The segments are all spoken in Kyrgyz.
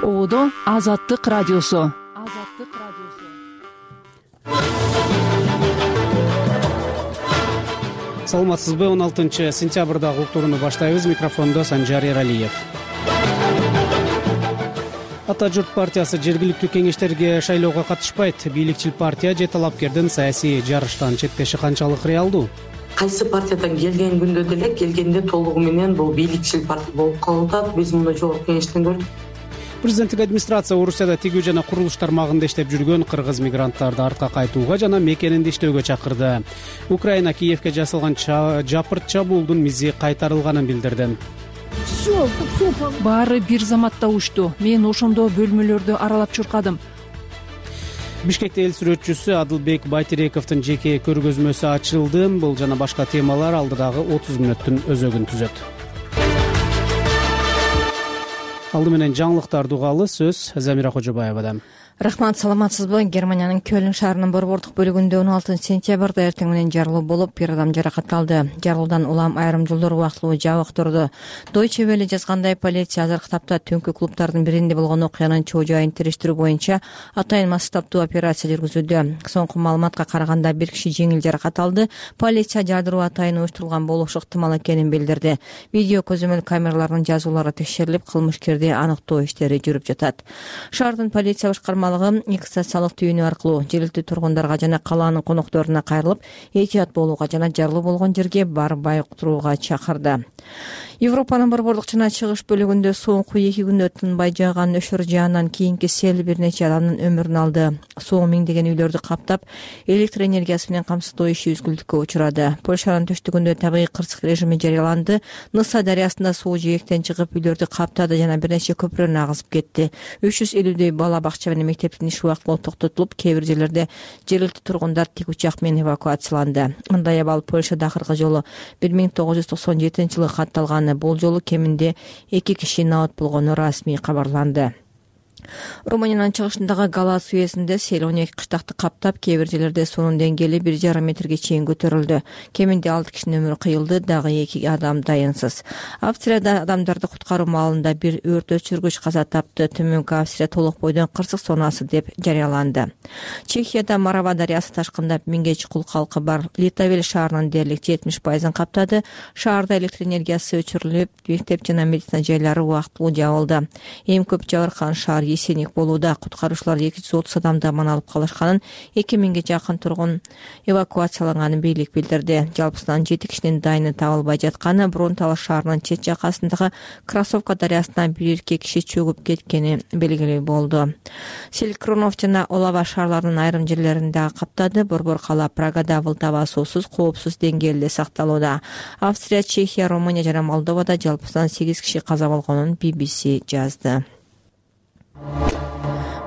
Оодо Азаттык радиосу. Саламатсызбы? 16-сентябрдагы уктурууну баштайбыз. Микрофондо Санжар Эралиев. Ата журт партиясы жергиликтүү кеңештерге шайлоого катышпайт. Бийликчил партия же талапкердин саясий жарыштан чектеши канчалык реалдуу? Кайсы партиядан келген күндө деле келгенде толугу менен бул бийликчил партия болуп калып атат. Биз муну жогорку кеңештен көрдүк. Президенттик администрация Орусияда тигүү жана курулуш тармагында иштеп жүргөн кыргыз мигранттарды артка кайтууга жана мекенинде иштөөгө чакырды. Украина Киевге жасалган жапырт чабуулдун мизи кайтарылганын билдирди. Баары бир заматта учту. Мен ошондо бөлмөлөрдү аралап чуркадым. Бишкекте эл сүрөтчүсү Адылбек Байтерековдун жеке көргөзмөсү ачылды. Бул жана башка темалар алдыдагы 30 мүнөттүн өзөгүн түзөт. Алды менен жаңылыктарды угалы. Сөз Замира Кожобаевадан. Рахмат, саламатсызбы? Германиянын Көлн шаарынын борбордук бөлүгүндө 16-сентябрда эртең менен жарылуу болуп, бир адам жаракатталды. Жарылуудан улам айрым жолдор убактылуу жабык турду. Deutsche Welle жазгандай, полиция азыркы тапта түнкү клубдардын биринде болгон окуянын чоо жайын териштирүү боюнча атайын масштабдуу операция жүргүзүүдө. Соңку маалыматка караганда бир киши жеңил жаракат алды. Полиция жардыруу атайын уюштурулган болушу ыктымал экенин билдирди. Видео көзөмөл камераларынын жазуулары текшерилип, кылмышкерди аныктоо иштери жүрүп жатат. Шаардын полиция башкармалыгы экстрасалык түйүнү аркылуу жергиликтүү тургундарга жана калаанын конокторуна кайрылып, этият болууга жана жарылуу болгон жерге барбай турууга чакырды. Европанын борбордук жана чыгыш бөлүгүндө соңку 2 күндө тынбай жааган өшөр жаандан кийинки сел бир нече адамдын өмүрүн алды. Суу миңдеген үйлөрдү каптап, электр энергиясы менен камсыздоо иши үзгүлтүккө учурады. Польшанын түштүгүндө табигый кырсык режими жарыяланды. Ныса дарыясында суу жээктен чыгып, үйлөрдү каптады жана бир нече көпүрөнү агызып кетти. 350дөй бала бакча менен мектептин иши убактылуу токтотулуп, кээ бир жерлерде жергиликтүү тургундар тик учак менен эвакуацияланды. Мындай абал Польшада акыркы жолу 1997-жылы катталган. Бул жолу кеминде 2 киши набат болгону расмий кабарланды. Румыниянын чыгышындагы Галац уездинде сел 12 кыштакты каптап, кээ бир жерлерде суунун деңгээли 1,5 метрге чейин көтөрүлдү. Кеминде 6 кишинин өмүрү кыйылды, дагы 2 адам дайынсыз. Австрияда адамдарды куткаруу маалында бир өрт өчүргүч каза тапты. Төмөнкү Австрия толук бойдон кырсык зонасы деп жарыяланды. Чехияда Марава дарыясы ташкындап, 1000ге чукул калкы бар Литавел шаарынын дээрлик 70% каптады. Шаарда электр энергиясы өчүрүлүп, мектеп жана медицина жайлары убактылуу жабылды. Эң көп жабыркаган шаар Есеник болууда. Куткаруучулар 230 адамды аман алып калышканын, 2000ге жакын тургун эвакуацияланганын бийлик билдирди. Жалпысынан 7 кишинин дайыны табылбай жатканы, Бронтал шаарынын чет жакасындагы Красовка дарыясына бир эркек киши чөгүп кеткени белгилүү болду. Селькронов жана Олава шаарларынын айрым жерлеринде каптады. Борбор кала Прагада Вылтава суусуз, коопсуз деңгээлде сакталууда. Австрия, Чехия, Румыния жана Молдовада жалпысынан 8 киши каза болгонун BBC жазды.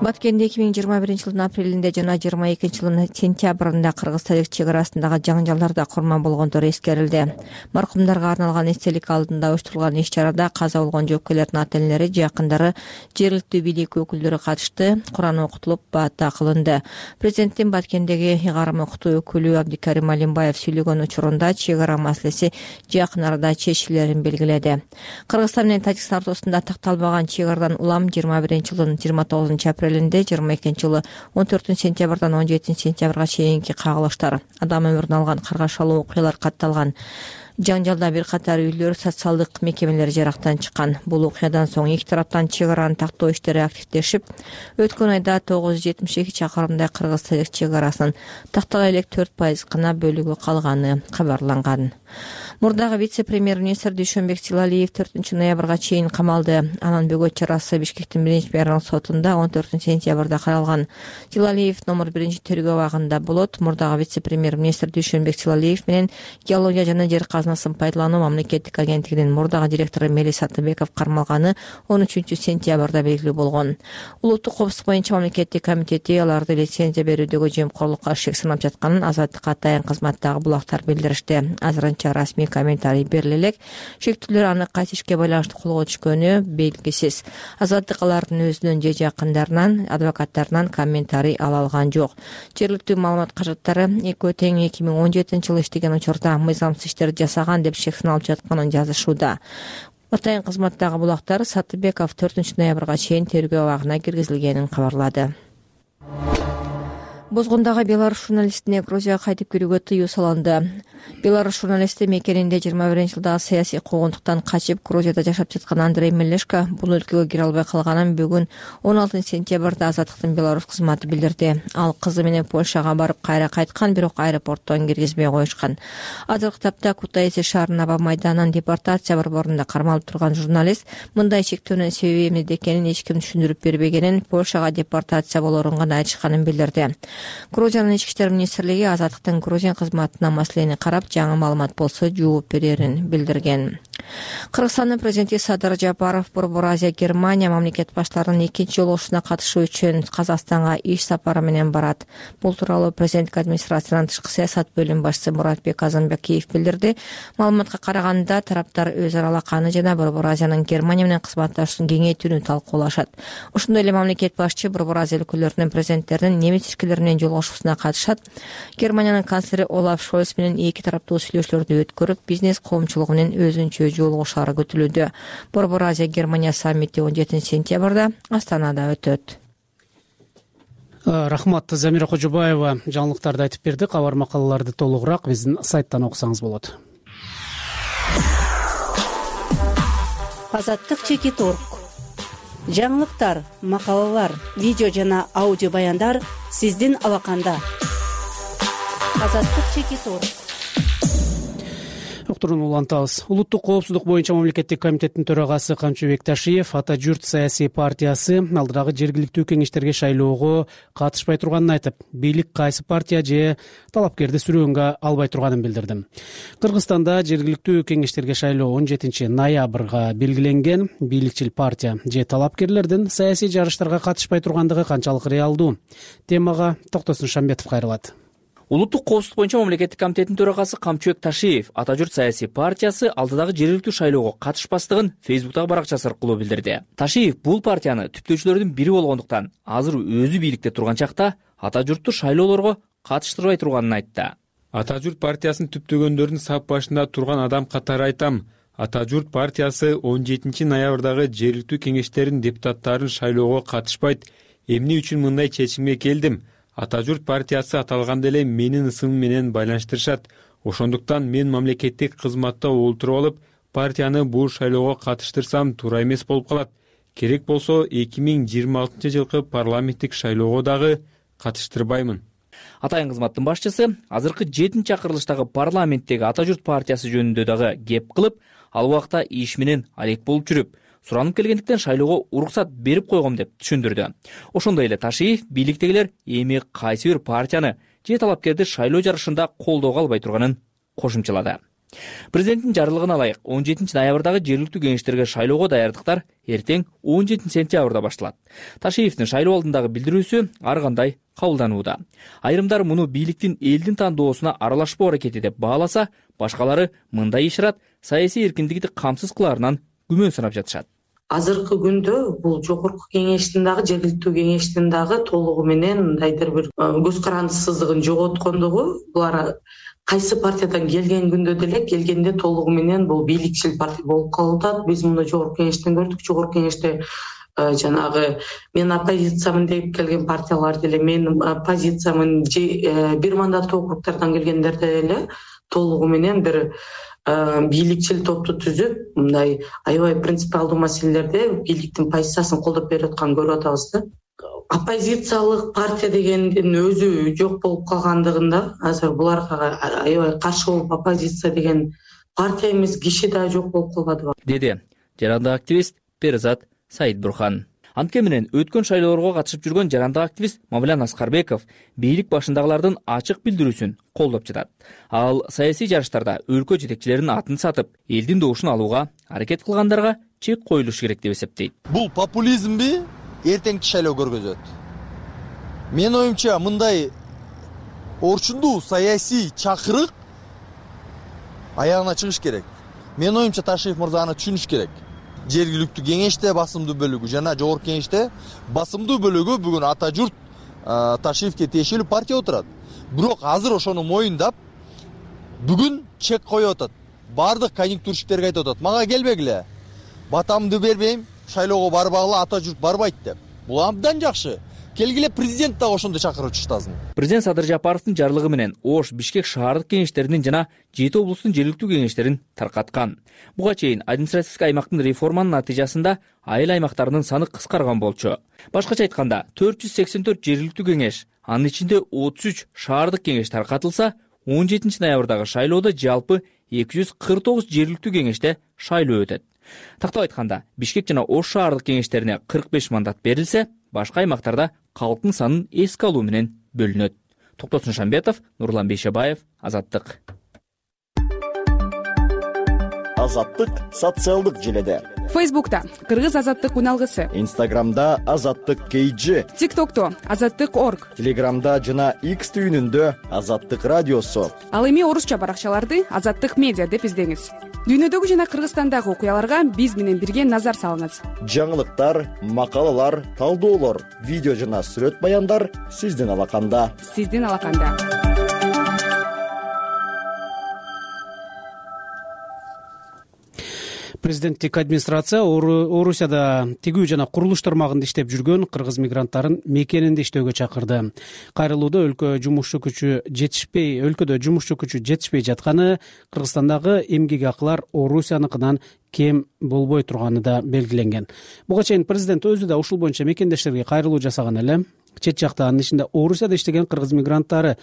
Баткенде 2021-жылдын апрелинде жана 22-жылдын сентябрында кыргыз-тажик чек арасындагы жаңжалдарда курман болгондор эскерилди. Маркумдарга арналган эстелик алдында уюштурулган иш-чарада каза болгон жоокейлердин ата-энелери, жакындары, жергиликтүү бийлик өкүлдөрү катышты. Куран окутулуп, баата кылынды. Президенттин Баткендеги ыйгарым окутуу өкүлү Абдикарим Алимбаев сүйлөгөн учурунда чек ара маселеси жакын арада чечилерин белгиледи. Кыргызстан менен Тажикстан ортосунда такталбаган чек арадан улам 21-жылдын 29-апрелинде, 22-жылы 14-сентябрдан 17-сентябрга чейинки кагылыштар, адам өмүрүн алган каргашалуу окуялар катталган. Жаңжалда бир катар үйлөр, социалдык мекемелер жарактан чыккан. Бул окуядан соң эки тараптан чек араны тактоо иштери активдешип, өткөн айда 972 чакырымдай кыргыз-тажик чек арасын тактала элек 4% гана бөлүгү калганы кабарланган. Мурдагы вице-премьер-министр Дүйшөнбек Тилалиев 4-ноябрга чейин камалды. Анын бөгөт чарасы Бишкектин 1-райондук сотунда 14-сентябрда каралган. Тилалиев номер 1-тергөө абагында болот. Мурдагы вице-премьер-министр Дүйшөнбек Тилалиев менен геология жана жер казынасын пайдалануу мамлекеттик агенттигинин мурдагы директору Мелис Атыбеков кармалганы 13-сентябрда белгилүү болгон. Улуттук коопсуздук боюнча мамлекеттик комитети аларды лицензия берүүдөгү жемкорлукка шек санап жатканын Азаттык атайын кызматтагы булактар билдиришти. Азырынча расмий комментарий бериле элек. Шектүүлөр аны кайсы ишке байланыштуу колго түшкөнү белгисиз. Азаттык алардын өзүнөн же жакындарынан, адвокаттарынан комментарий ала алган жок. Жергиликтүү маалымат каражаттары экөө тең 2017-жылы иштеген учурда мыйзамсыз иштерди жасаган деп шек саналып жатканын жазышууда. Атайын кызматтагы булактар Сатыбеков 4 ноябрга чейин тергөө абагына киргизилгенин кабарлады. Бозгондагы беларус журналистине Грузияга кайтып кирүүгө тыюу салынды. Беларус журналисти мекенинде 21-жылдагы саясий куугунтуктан качып Грузияда жашап жаткан Андрей Мелешко бул өлкөгө кире албай калганын бүгүн 16 сентябрда Азаттыктын Беларусь кызматы билдирди. Ал кызы менен Польшага барып кайра кайткан, бирок аэропорттон киргизбей коюшкан. Азыркы тапта Кутаиси шаарынын аба майданынан депортация борборунда кармалып турган журналист мындай чектөөнүн себеби эмнеде экенин эч ким түшүндүрүп бербегенин, Польшага депортация болоорун гана айтышканын билдирди. Грузиянын ички иштер министрлиги Азаттыктын Грузия кызматына маселени карап, жаңы маалымат болсо жооп берерин билдирген. Кыргызстандын президенти Садыр Жапаров Борбор Азия Германия мамлекет баштарынын 2-жолугушуна катышуу үчүн Казакстанга иш сапары менен барат. Бул тууралуу президенттик администрациянын тышкы саясат бөлүм башчысы Муратбек Азанбекиев билдирди. Маалыматка караганда, тараптар өз ара алаканы жана Борбор Азиянын Германия менен кызматташууну кеңейтүүнү талкуулашат. Ошондой эле мамлекет башчы Борбор Азия өлкөлөрүнүн президенттеринин немис ишкерлери менен жолугушуусуна катышат. Германиянын канцлери Олаф Шольц менен эки тараптуу сүйлөшүүлөрдү өткөрүп, бизнес коомчулугу менен өзүнчө жолугушаары күтүлүүдө. Борбор Азия Германия саммити 17 сентябрда Астанада өтөт. Рахмат, Замира Кожобаева жаңылыктарды айтып берди. Кабар макалаларды толугураак биздин сайттан окусаңыз болот. Азаттык Чекит.org. Жаңылыктар, макалалар, видео жана аудио баяндар сиздин алаканда. Азаттык Чекит.org. Уктурууну улантабыз. Улуттук коопсуздук боюнча мамлекеттик комитеттин төрагасы Камчыбек Ташиев Ата журт саясий партиясы алдыдагы жергиликтүү кеңештерге шайлоого катышпай турганын айтып, бийлик кайсы партия же талапкерди сүрөөнгө албай турганын билдирди. Кыргызстанда жергиликтүү кеңештерге шайлоо 17 ноябрга белгиленген. Бийликчил партия же талапкерлердин саясий жарыштарга катышпай тургандыгы канчалык реалдуу? Темага Токтосун Шамбетов кайрылат. Улуттук коопсуздук боюнча мамлекеттик комитеттин төрагасы Камчыбек Ташиев Ата журт саясий партиясы алдыдагы жергиликтүү шайлоого катышпастыгын Фейсбуктагы баракчасы аркылуу билдирди. Ташиев бул партияны түптөөчүлөрдүн бири болгондуктан азыр өзү бийликте турган чакта Ата журтту шайлоолорго катыштырбай турганын айтты. Ата журт партиясын түптөгөндөрдүн сап башында турган адам катары айтам. Ата журт партиясы 17 ноябрдагы жергиликтүү кеңештердин депутаттарын шайлоого катышпайт. Эмне үчүн мындай чечимге келдим? Ата журт партиясы аталганда эле менин ысымым менен байланыштырышат. Ошондуктан мен мамлекеттик кызматта олтуруп алып, партияны бул шайлоого катыштырсам туура эмес болуп калат. Керек болсо 2026 жылкы парламенттик шайлоого дагы катыштырбаймын. Атайын кызматтын башчысы азыркы 7-чакырылыштагы парламенттеги Ата журт партиясы жөнүндө дагы кеп кылып, ал убакта иш менен алек болуп жүрүп, суранып келгендиктен шайлоого уруксат берип койгом деп түшүндүрдү. Ошондой эле Ташиев бийликтегилер эми кайсы бир партияны же талапкерди шайлоо жарышында колдоого албай турганын кошумчалады. Президенттин жарлыгына ылайык 17 ноябрдагы жергиликтүү кеңештерге шайлоого даярдыктар эртең 17 сентябрда башталат. Ташиевдин шайлоо алдындагы билдирүүсү ар кандай кабылданууда. Айрымдар муну бийликтин элдин тандоосуна аралашпоо аракети деп бааласа, башкалары мындай ишарат саясий эркиндикти камсыз кылаарынан күмөн санап жатышат. Азыркы күндө бул жогорку кеңештин дагы жергиликтүү кеңештин дагы толугу менен мындайдыр бир көз карандысыздыгын жоготкондугу, булар кайсы партиядан келген күндө деле келгенде толугу менен бул бийликчил партия болуп калып атат. Биз муну жогорку кеңештен көрдүк. Жогорку кеңеште жанагы мен оппозициямын деп келген партиялар деле менин позициямын же бир мандаттуу округдардан келгендерде эле толугу менен бир бийликчил топту түзүп, мындай аябай принципиалдуу маселелерде бийликтин позициясын колдоп берип атканын көрүп атабыз да. Оппозициялык партия дегендин өзү жок болуп калгандыгында азыр буларга аябай каршы болуп оппозиция деген партия эмес киши да жок болуп калбадыбы, деди жарандык активист Перзат Саидбурхан. Антке менен өткөн шайлоолорго катышып жүргөн жарандык активист Мавлян Аскарбеков бийлик башындагылардын ачык билдирүүсүн колдоп жатат. Ал саясий жарыштарда өлкө жетекчилеринин атын сатып, элдин добушун алууга аракет кылгандарга чек коюлуш керек деп эсептейт. Бул популизмби эртеңки шайлоо көргөзөт. Менин оюмча мындай орчундуу саясий чакырык аягына чыгыш керек. Менин оюмча Ташиев мырза аны түшүнүш керек. Жергиликтүү кеңеште басымдуу бөлүгү жана жогорку кеңеште басымдуу бөлүгү бүгүн Ата журт Ташиевке тиешелүү партия отурат. Бирок азыр ошону моюндап бүгүн чек коюп атат. Бардык конъюнктурщиктерге айтып атат: "Мага келбегиле. батамды бербейм, шайлоого барбагыла, ата журт барбайт деп. Бул абдан жакшы. Келгиле президент дагы ошондой чакырып чыктасын. Президент Садыр Жапаровдун жарлыгы менен Ош, Бишкек шаардык кеңештеринин жана 7 облустун жергиликтүү кеңештерин таркаткан. Буга чейин административдик аймактын реформанын натыйжасында айыл аймактарынын саны кыскарган болчу. Башкача айтканда 484 жергиликтүү кеңеш, анын ичинде 33 шаардык кеңеш таркатылса, 17 ноябрдагы шайлоодо жалпы 249 жергиликтүү кеңеште шайлоо өтөт. Тактап айтканда, Бишкек жана Ош шаардык кеңештерине 45 мандат берилсе, башка аймактарда калктын санын эске алуу менен бөлүнөт. Токтосун Шамбетов, Нурлан Бейшебаев, Азаттык. Азаттык социалдык желеде. Фейсбукта Кыргыз азаттык үналгысы, Инстаграмда Азаттык KG, ТикТокто Азаттык.org, Телеграмда жана X түйүнүндө Азаттык радиосу. Ал эми орусча баракчаларды Азаттык медиа деп издеңиз. Дүйнөдөгү жана Кыргызстандагы окуяларга биз менен бирге назар салыңыз. Жаңылыктар, макалалар, талдоолор, видео жана сүрөт баяндар сиздин алаканда. Сиздин алаканда. Президенттик администрация Орусияда тигүү жана курулуш тармагында иштеп жүргөн кыргыз мигранттарын мекенинде иштөөгө чакырды. Кайрылууда өлкөдө жумушчу күчү жетишпей жатканы, Кыргызстандагы эмгек акылар Орусияныкынан кем болбой турганы да белгиленген. Буга чейин президент өзү да ушул боюнча мекендештерге кайрылуу жасаган эле. Чет жакта анын ичинде Орусияда иштеген кыргыз мигранттары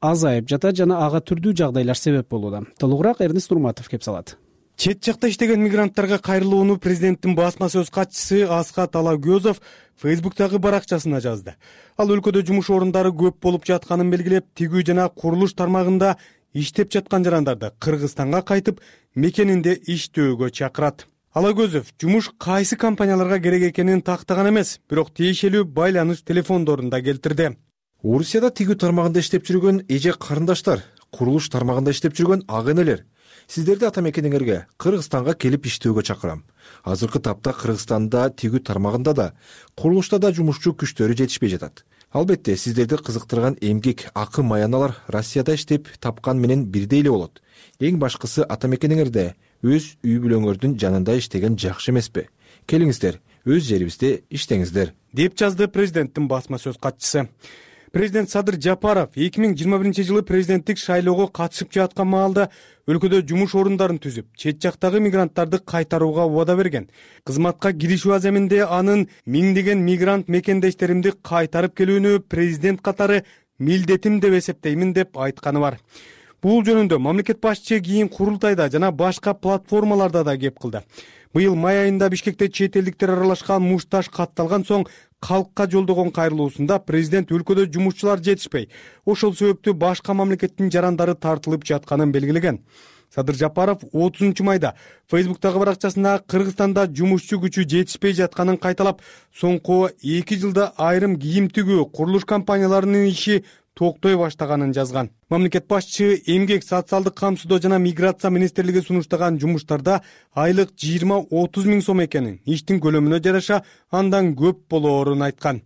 азайып жатат жана ага түрдүү жагдайлар себеп болууда. Толугураак Эрнест Нурматов кеп салат. Чет жакта иштеген мигранттарга кайрылууну президенттин басма сөз катчысы Асхат Алагөзов Фейсбуктагы баракчасына жазды. Ал өлкөдө жумуш орундары көп болуп жатканын белгилеп, тигүү жана курулуш тармагында иштеп жаткан жарандарды Кыргызстанга кайтып, мекенинде иштөөгө чакырат. Алагөзов жумуш кайсы компанияларга керек экенин тактаган эмес, бирок тиешелүү байланыш телефондорун да келтирди. Орусияда тигүү тармагында иштеп жүргөн эже карындаштар, курулуш тармагында иштеп жүргөн ага энелер, сиздерди ата мекениңерге Кыргызстанга келип иштөөгө чакырам. Азыркы тапта Кыргызстанда тигүү тармагында да, курулушта да жумушчу күчтөрү жетишпей жатат. Албетте, сиздерди кызыктырган эмгек акы маяналар Россияда иштеп тапкан менен бирдей эле болот. Эң башкысы ата мекениңерде өз үй бүлөңөрдүн жанында иштеген жакшы эмеспи? Келиңиздер, өз жерибизде иштеңиздер, деп жазды президенттин басма сөз катчысы. Президент Садыр Жапаров 2021 президенттик шайлоого катышып жаткан маалда өлкөдө жумуш орундарын түзүп, чет жактагы мигранттарды кайтарууга убада берген. Кызматка киришүү аземинде анын миңдеген мигрант мекендештеримди кайтарып келүүнү президент катары милдетим деп эсептеймин деп айтканы бар. Бул жөнүндө мамлекет башчы кийин курултайда жана башка платформаларда да кеп кылды. Быйыл май айында Бишкекте чет элдиктер аралашкан мушташ катталган соң калкка жолдогон кайрылуусунда президент өлкөдө жумушчулар жетишпей, ошол себептүү башка мамлекеттин жарандары тартылып жатканын белгилеген. Садыр Жапаров 30 майда Фейсбуктагы баракчасына Кыргызстанда жумушчу күчү жетишпей жатканын кайталап, соңку 2 жылда айрым кийим тигүү курулуш компанияларынын иши токтой баштаганын жазган. Мамлекет башчы эмгек, социалдык камсыздоо жана миграция министрлиги сунуштаган жумуштарда айлык 20-30 миң сом экенин, иштин көлөмүнө жараша андан көп болоорун айткан.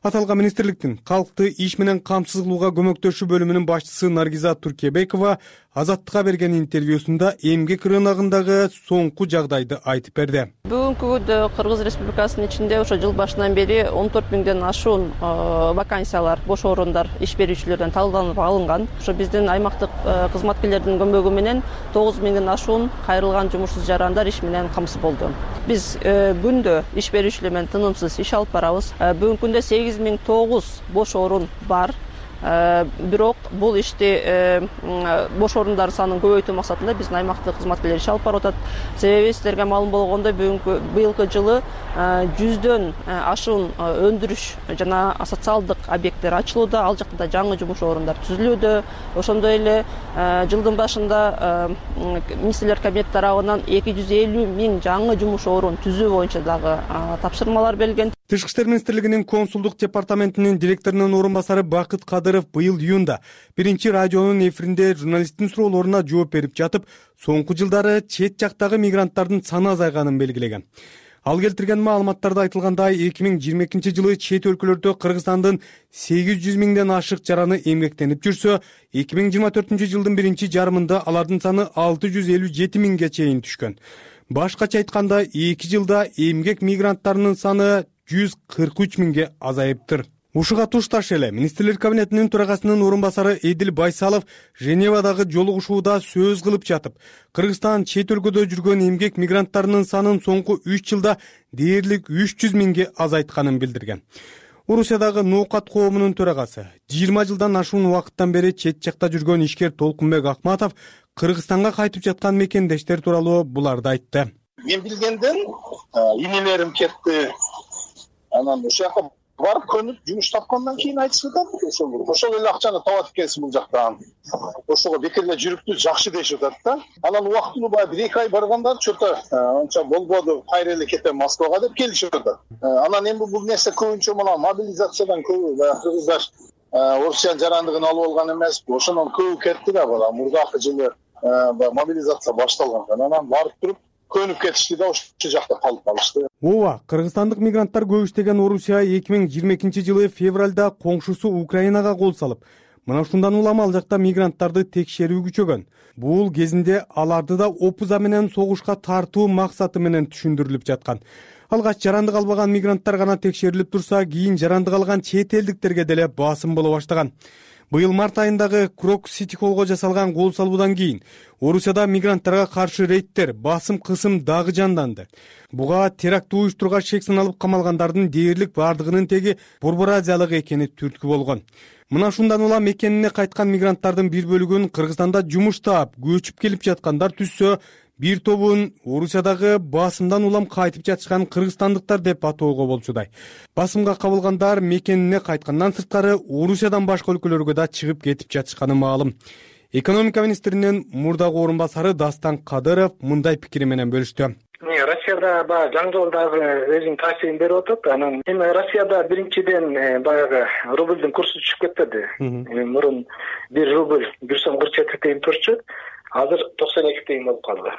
Аталган министрликтин калкты иш менен камсыз кылууга көмөктөшүү бөлүмүнүн башчысы Наргиза Туркебекова Азаттыкка берген интервьюсунда эмгек рыногундагы соңку жагдайды айтып берди. Бүгүнкү күндө Кыргыз Республикасынын ичинде ошо жыл башынан бери 14 миңден ашуун вакансиялар, бош орундар иш берүүчүлөрдөн талданып алынган. Ошо биздин аймактык кызматкерлердин көмөгү менен 9 миңден ашуун кайрылган жумушсуз жарандар иш менен камсыз болду. Биз күндө иш берүүчүлөр менен тынымсыз иш алып барабыз. Бүгүнкү күндө 8009 бош орун бар. Бирок бул ишти бош орундардын санын көбөйтүү максатында биздин аймактык кызматкерлер иш алып барып атат. Себеби сиздерге маалым болгондой быйылкы жылы 100дөн ашуун өндүрүш жана социалдык объекттер ачылууда, ал жакта жаңы жумуш орундар түзүлүүдө. Ошондой эле жылдын башында министрлер кабинети тарабынан 250 миң жаңы жумуш орун түзүү боюнча дагы тапшырмалар берилген. Тышкы иштер министрлигинин консулдук департаментинин директорунун орун басары Бакыт Кадыров быйыл июнда биринчи радионун эфиринде журналисттин суроолоруна жооп берип жатып, соңку жылдары чет жактагы мигранттардын саны азайганын белгилеген. Ал келтирген маалыматтарда айтылгандай, 2022 жылы чет өлкөлөрдө Кыргызстандын 800 миңден ашык жараны эмгектенип жүрсө, 2024 жылдын биринчи жарымында алардын саны 657 миңге чейин түшкөн. Башкача айтканда 2 жылда эмгек мигранттарынын саны 143 миңге азайыптыр. Ушуга тушташ эле министрлер кабинетинин төрагасынын орун басары Эдил Байсалов Женевадагы жолугушууда сөз кылып жатып, Кыргызстан чет өлкөдө жүргөн эмгек мигранттарынын санын соңку 3 жылда дээрлик 300 миңге азайтканын билдирген. Орусиядагы ноокат коомунун төрагасы 20 жылдан ашуун убакыттан бери чет жакта жүргөн ишкер Толкунбек Акматов Кыргызстанга кайтып жаткан мекендештер тууралуу буларды айтты. Мен билгенден инелерим кетти. Анан ошол жака барып көнүп жумуш тапкандан кийин айтышып атат. Ошол эле акчаны табат экенсиң бул жактан. Ошого бекерге жүрүптү жакшы дешип атат да. Анан убактылуу баягы 1-2 ай баргандар чөтө анча болбоду, кайра эле кетем Москвага деп келишип атат. Анан эми бул нерсе көбүнчө мына мобилизациядан көбү баягы кыргыздар Орусиянын жарандыгын алып алган эмес. Ошондон көбү кетти да бала. Мурдакы жылы мобилизация башталган. Анан барып туруп көнүп кетишти да ошол жакта калып калышты. Ооба, кыргызстандык мигранттар көп иштеген Орусия 2022 жылы февралда коңшусу Украинага кол салып, мына ушундан улам ал жакта мигранттарды текшерүү күчөгөн. Бул кезинде аларды да опуза менен согушка тартуу максаты менен түшүндүрүлүп жаткан. Алгач жарандык албаган мигранттар гана текшерилип турса, кийин жарандык алган чет элдиктерге деле басым боло баштаган. Быйыл март айындагы Крок-Сити холлго жасалган кол салуудан кийин Орусияда мигранттарга каршы рейдтер, басым-кысым дагы жанданды. Буга теракт уюштурган шек саналып камалгандардын дээрлик бардыгынын теги Борбор Азиялык экени түрткү болгон. Мына ушундан улам мекенине кайткан мигранттардын бир бөлүгүн Кыргызстанда жумуш таап, көчүп келип жаткандар түссө, бир тобун Орусиядагы басымдан улам кайтып жатышкан кыргызстандыктар деп атоого болчудай. Басымга кабылгандар мекенине кайткандан сырткары Орусиядан башка өлкөлөргө да чыгып кетип жатышканы маалым. Экономика министринин мурдагы орун басары Дастан Кадыров мындай пикири менен бөлүштү. Россияда баягы жаңы дагы өзүнүн таасирин берип атат. Анан эми Россияда биринчиден баягы рубльдун курсу түшүп кетти. Мурун 1 рубль 1 сом 47 тыйын турчу. Азыр 92 тыйын болуп калды.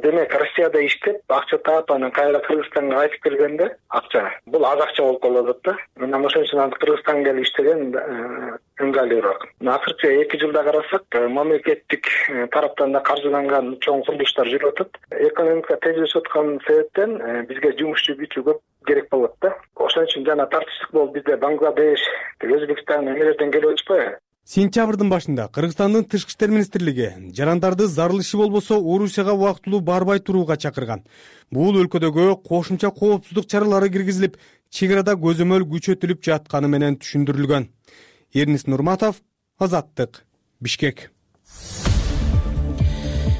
Демек Россияда иштеп, акча таап, анан кайра Кыргызстанга кайтып келгенде акча. Бул аз акча болуп калат да. Мына ошон үчүн Кыргызстанга келип иштеген ыңгайлуураак. Акыркы 2 жылда карасак, мамлекеттик тараптан да каржыланган чоң курулуштар жүрүп атат. Экономика тез өсүп аткан себептен бизге жумушчу күчү көп керек болот да. Ошон үчүн жана тартыштык болуп бизде Бангладеш, Өзбекстан эмелерден келип атышпайбы? Сентябрдын башында Кыргызстандын Тышкы иштер министрлиги жарандарды зарылышы болбосо Орусияга убактылуу барбай турууга чакырган. Бул өлкөдөгү кошумча коопсуздук чаралары киргизилип, чек арада көзөмөл күчөтүлүп жатканы менен түшүндүрүлгөн. Эрнис Нурматов, Азаттык, Бишкек.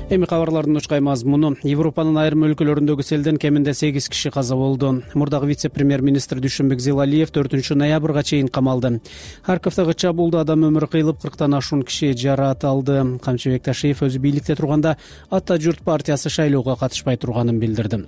Эми кабарлардын учкай мазмуну. Европанын айрым өлкөлөрүндөгү селден кеминде 8 киши каза болду. Мурдагы вице-премьер-министр Дүйшөнбек Зилалиев 4-ноябрга чейин камалды. Харьковдогу чабуулда адам өмүрү кыйылып, 40тан ашуун киши жараат алды. Камчыбек Ташиев өзү бийликте турганда Ата журт партиясы шайлоого катышпай турганын билдирди.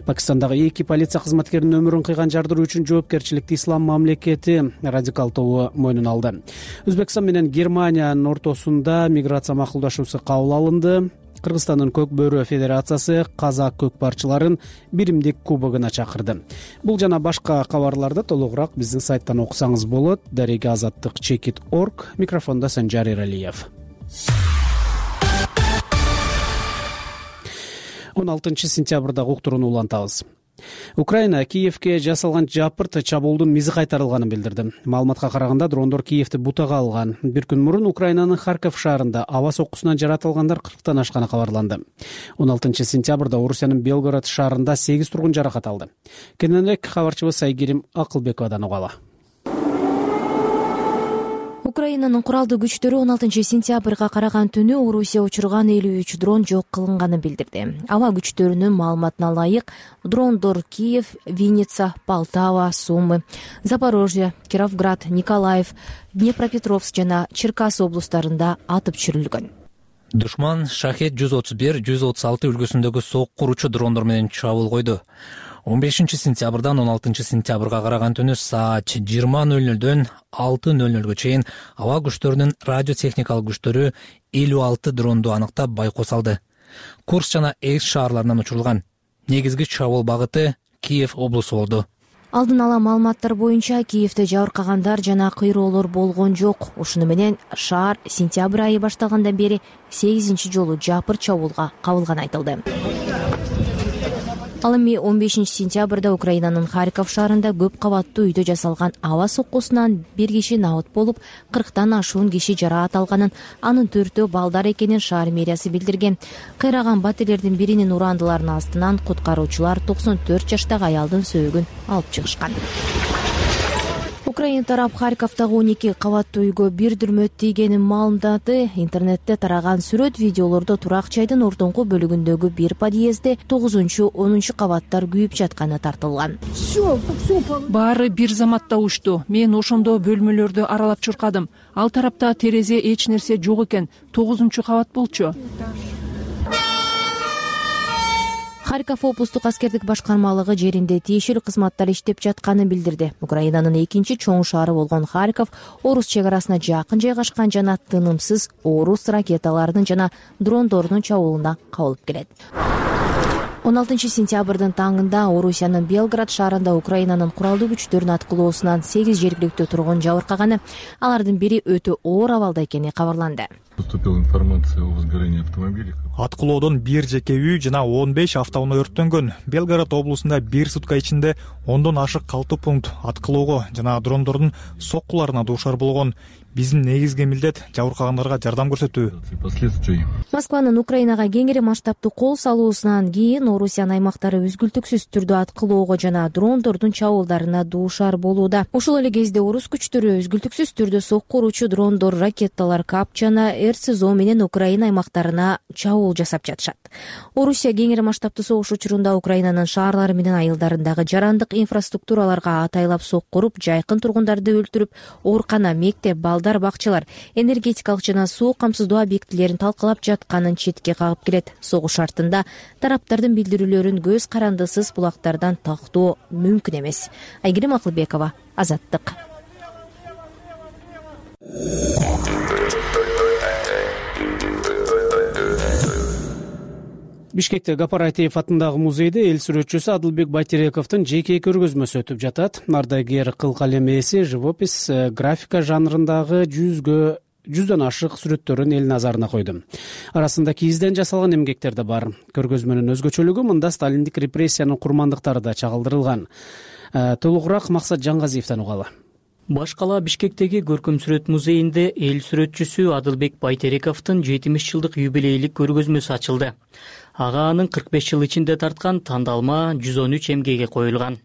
Пакистандагы 2 полиция кызматкеринин өмүрүн кыйган жардыруу үчүн жоопкерчиликти Ислам мамлекети радикал тобу мойнуна алды. Өзбекстан менен Германиянын ортосунда миграция макулдашуусу кабыл алынды. Кыргызстандын Көк Бөрү Федерациясы казак көкпарчыларын биримдик кубогуна чакырды. Бул жана башка кабарларды толугураак биздин сайттан окусаңыз болот. Дареги Азаттык Чекит.org. Микрофондо Санжар Эралиев. 16 сентябрда уктурууну улантабыз. Украина Киевке жасалган жапырт чабуулдун мизи кайтарылганын билдирди. Маалыматка караганда дрондор Киевти бутага алган. Бир күн мурун Украинанын Харьков шаарында аба соккусунан жаратылгандар 40тан ашканы кабарланды. 16 сентябрда Орусиянын Белгород шаарында 8 тургун жаракат алды. Кененирээк кабарчыбыз Айгерим Акылбековадан угалы. Украинанын куралдуу күчтөрү 16 сентябрга караган түнү Орусия учурган 53 дрон жок кылынганын билдирди. Аба күчтөрүнүн маалыматына ылайык, дрондор Киев, Винница, Полтава, Сумы, Запорожье, Кировград, Николаев, Днепропетровск жана Черкас облустарында атып түшүрүлгөн. Душман Шахет 131-136 үлгүсүндөгү сок куручу дрондор менен чабуул койду. 15 сентябрдан 16 сентябрга караган түнү саат 20:00дөн 6:00га чейин аба күчтөрүнүн радиотехникалык күчтөрү 56 дронду аныктап байкоо салды. Курск жана Экс шаарларынан учурулган. Негизги чабуул багыты Киев облусу болду. Алдын ала маалыматтар боюнча Киевде жабыркагандар жана кыйроолор болгон жок. Ушуну менен шаар сентябрь айы башталгандан бери 8-жолу жапырт чабуулга кабылганы айтылды. Ал эми 15 сентябрда Украинанын Харьков шаарында көп кабаттуу үйдө жасалган аба соккусунан бир киши набыт болуп, 40тан ашуун киши жараат алганын, анын 4-өө балдар экенин шаар мэриясы билдирген. Кыйраган батирлердин биринин урандыларынын астынан куткаруучулар 94 жаштагы аялдын сөөгүн алып чыгышкан. Украина тарап Харьковдагы 12 кабаттуу үйгө бир дүрмөт тийгенин маалымдады. Интернетте тараган сүрөт видеолордо турак жайдын ордоңку бөлүгүндөгү бир подъездде 9-10 кабаттар күйүп жатканы тартылган. Баары бир заматта учту. Мен ошондо бөлмөлөрдү аралап чуркадым. Ал тарапта терезе эч нерсе жок экен. 9-кабат болчу. Харьков облустук аскердик башкармалыгы жеринде тиешелүү кызматтар иштеп жатканын билдирди. Украинанын экинчи чоң шаары болгон Харьков орус чек арасына жакын жайгашкан жана тынымсыз орус ракеталарынын жана дрондордун чабуулуна кабылып келет. 16 сентябрдын таңында Орусиянын Белград шаарында Украинанын куралдуу күчтөрүнүн аткылоосунан 8 жергиликтүү тургун жабыркаганы, алардын бири өтө оор абалда экени кабарланды. Поступила информация о возгорении автомобиля. Аткылоодон бир жеке үй жана 15 автоунаа өрттөнгөн. Белгород облусунда бир сутка ичинде 10дон ашык калтуу пункт аткылоого жана дрондордун соккуларына дуушар болгон. Биздин негизги милдет жабыркагандарга жардам көрсөтүү. Москванын Украинага кеңири масштабтуу кол салуусунан кийин Орусиянын аймактары үзгүлтүксүз түрдө аткылоого жана дрондордун чабуулдарына дуушар болууда. Ошол эле кезде орус күчтөрү үзгүлтүксүз түрдө сокку уруучу дрондор, ракеталар, КАП жана РСЗО менен Украина аймактарына чабуул жасап жатышат. Орусия кеңири масштабтуу согуш учурунда Украинанын шаарлары менен айылдарындагы жарандык инфраструктураларга атайлап сокку уруп, жайкын тургундарды өлтүрүп, оорукана, мектеп, балдар бакчалар, энергетикалык жана суу камсыздоо объектилерин талкалап жатканын четке кагып келет. Согуш шартында тараптардын билдирүүлөрүн көз карандысыз булактардан тактоо мүмкүн эмес. Айгерим Акылбекова, Азаттык. Бишкекте Гапар Айтеев атындагы музейде эл сүрөтчүсү Адылбек Байтерековдун жеке көргөзмөсү өтүп жатат. Ардагер кыл калем ээси живопись, графика жанрындагы жүздөн ашык сүрөттөрүн эл назарына койду. Арасында кийизден жасалган эмгектер да бар. Көргөзмөнүн өзгөчөлүгү мында сталиндик репрессиянын курмандыктары да чагылдырылган. Толугураак Максат Жаңгазиевден угалы. Баш кала Бишкектеги көркөм сүрөт музейинде эл сүрөтчүсү Адылбек Байтерековдун 70 жылдык юбилейлик көргөзмөсү ачылды. Ага анын 45 жыл ичинде тарткан тандалма 113 эмгеги коюлган.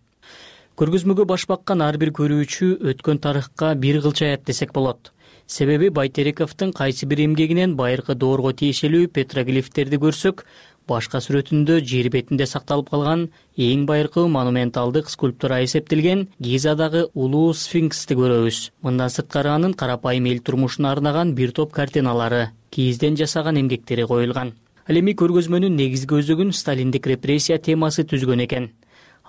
Көргөзмөгө баш баккан ар бир көрүүчү өткөн тарыхка бир кылча аят десек болот. Себеби Байтерековдун кайсы бир эмгегинен байыркы доорго тиешелүү петроглифтерди көрсөк, башка сүрөтүндө жер бетинде сакталып калган эң байыркы монументалдык скульптура эсептелген Гизадагы улуу сфинксти көрөбүз. Мындан сырткары анын карапайым эл турмушуна арнаган бир топ картиналары, кийизден жасаган эмгектери коюлган. Ал эми көргөзмөнүн негизги өзөгүн сталиндик репрессия темасы түзгөн экен.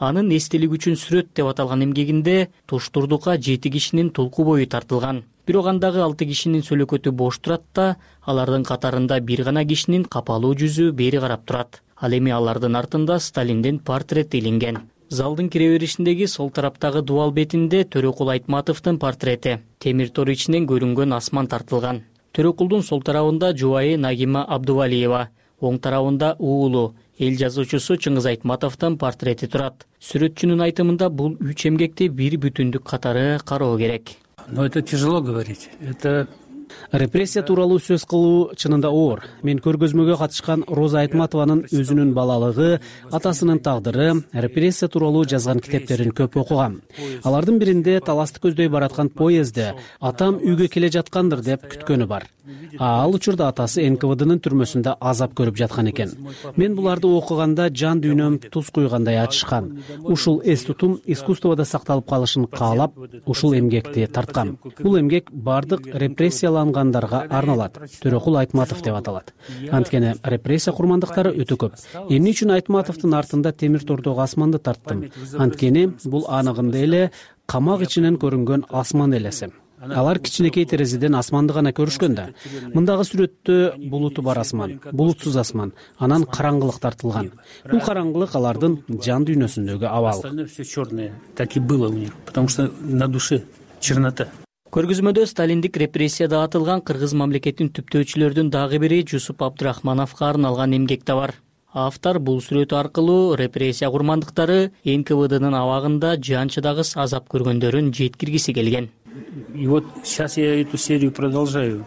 Анын эстелик үчүн сүрөт деп аталган эмгегинде Туштурдукка 7 кишинин тулку бою тартылган. Бирок андагы 6 кишинин сөлөкөтү бош турат да, алардын катарында бир гана кишинин капалуу жүзү бери карап турат. Ал эми алардын артында Сталиндин портрети илинген. Залдын кире беришиндеги сол тараптагы дубал бетинде Төрөкул Айтматовдун портрети, темир тор ичинен көрүнгөн асман тартылган. Төрөкулдун сол тарабында жубайы Нагима Абдувалиева, оң тарабында уулу, эл жазуучусу Чыңгыз Айтматовдун портрети турат. Сүрөтчүнүн айтымында бул 3 эмгекти бир бүтүндүк катары кароо керек. Но это тяжело говорить. Это Репрессия тууралуу сөз кылуу чынында оор. Мен көргөзмөгө катышкан Роза Айтматованын өзүнүн балалыгы, атасынын тагдыры, репрессия тууралуу жазган китептерин көп окугам. Алардын биринде таласты көздөй бараткан поездде атам үйгө келе жаткандыр деп күткөнү бар. Ал учурда атасы НКВДнын түрмөсүндө азап көрүп жаткан экен. Мен буларды окуганда жан дүйнөм туз куйгандай ачышкан. Ушул эс тутум искусствода сакталып калышын каалап, ушул эмгекти тарткам. Бул эмгек бардык репрессиялангандарга арналат. Төрөкул Айтматов деп аталат. Анткени репрессия курмандыктары өтө көп. Эмне үчүн Айтматовдун артында темир тордогу асманды тарттым? Анткени бул аныгында эле камак ичинен көрүнгөн асман элеси. Алар кичинекей терезеден асманды гана көрүшкөн да. Мындагы сүрөттө булуту бар асман, булутсуз асман, анан караңгылык тартылган. Бул караңгылык алардын жан дүйнөсүндөгү абал. Все чёрное, так и было у них, потому что на душе чернота. Көргөзмөдө сталиндик репрессияда атылган кыргыз мамлекетин түптөөчүлөрдүн дагы бири Жусуп Абдрахмановго арналган эмгек да бар. Автор бул сүрөт аркылуу репрессия курмандыктары НКВДнын абагында жанчыдагыс азап көргөндөрүн жеткиргиси келген. И вот сейчас я эту серию продолжаю.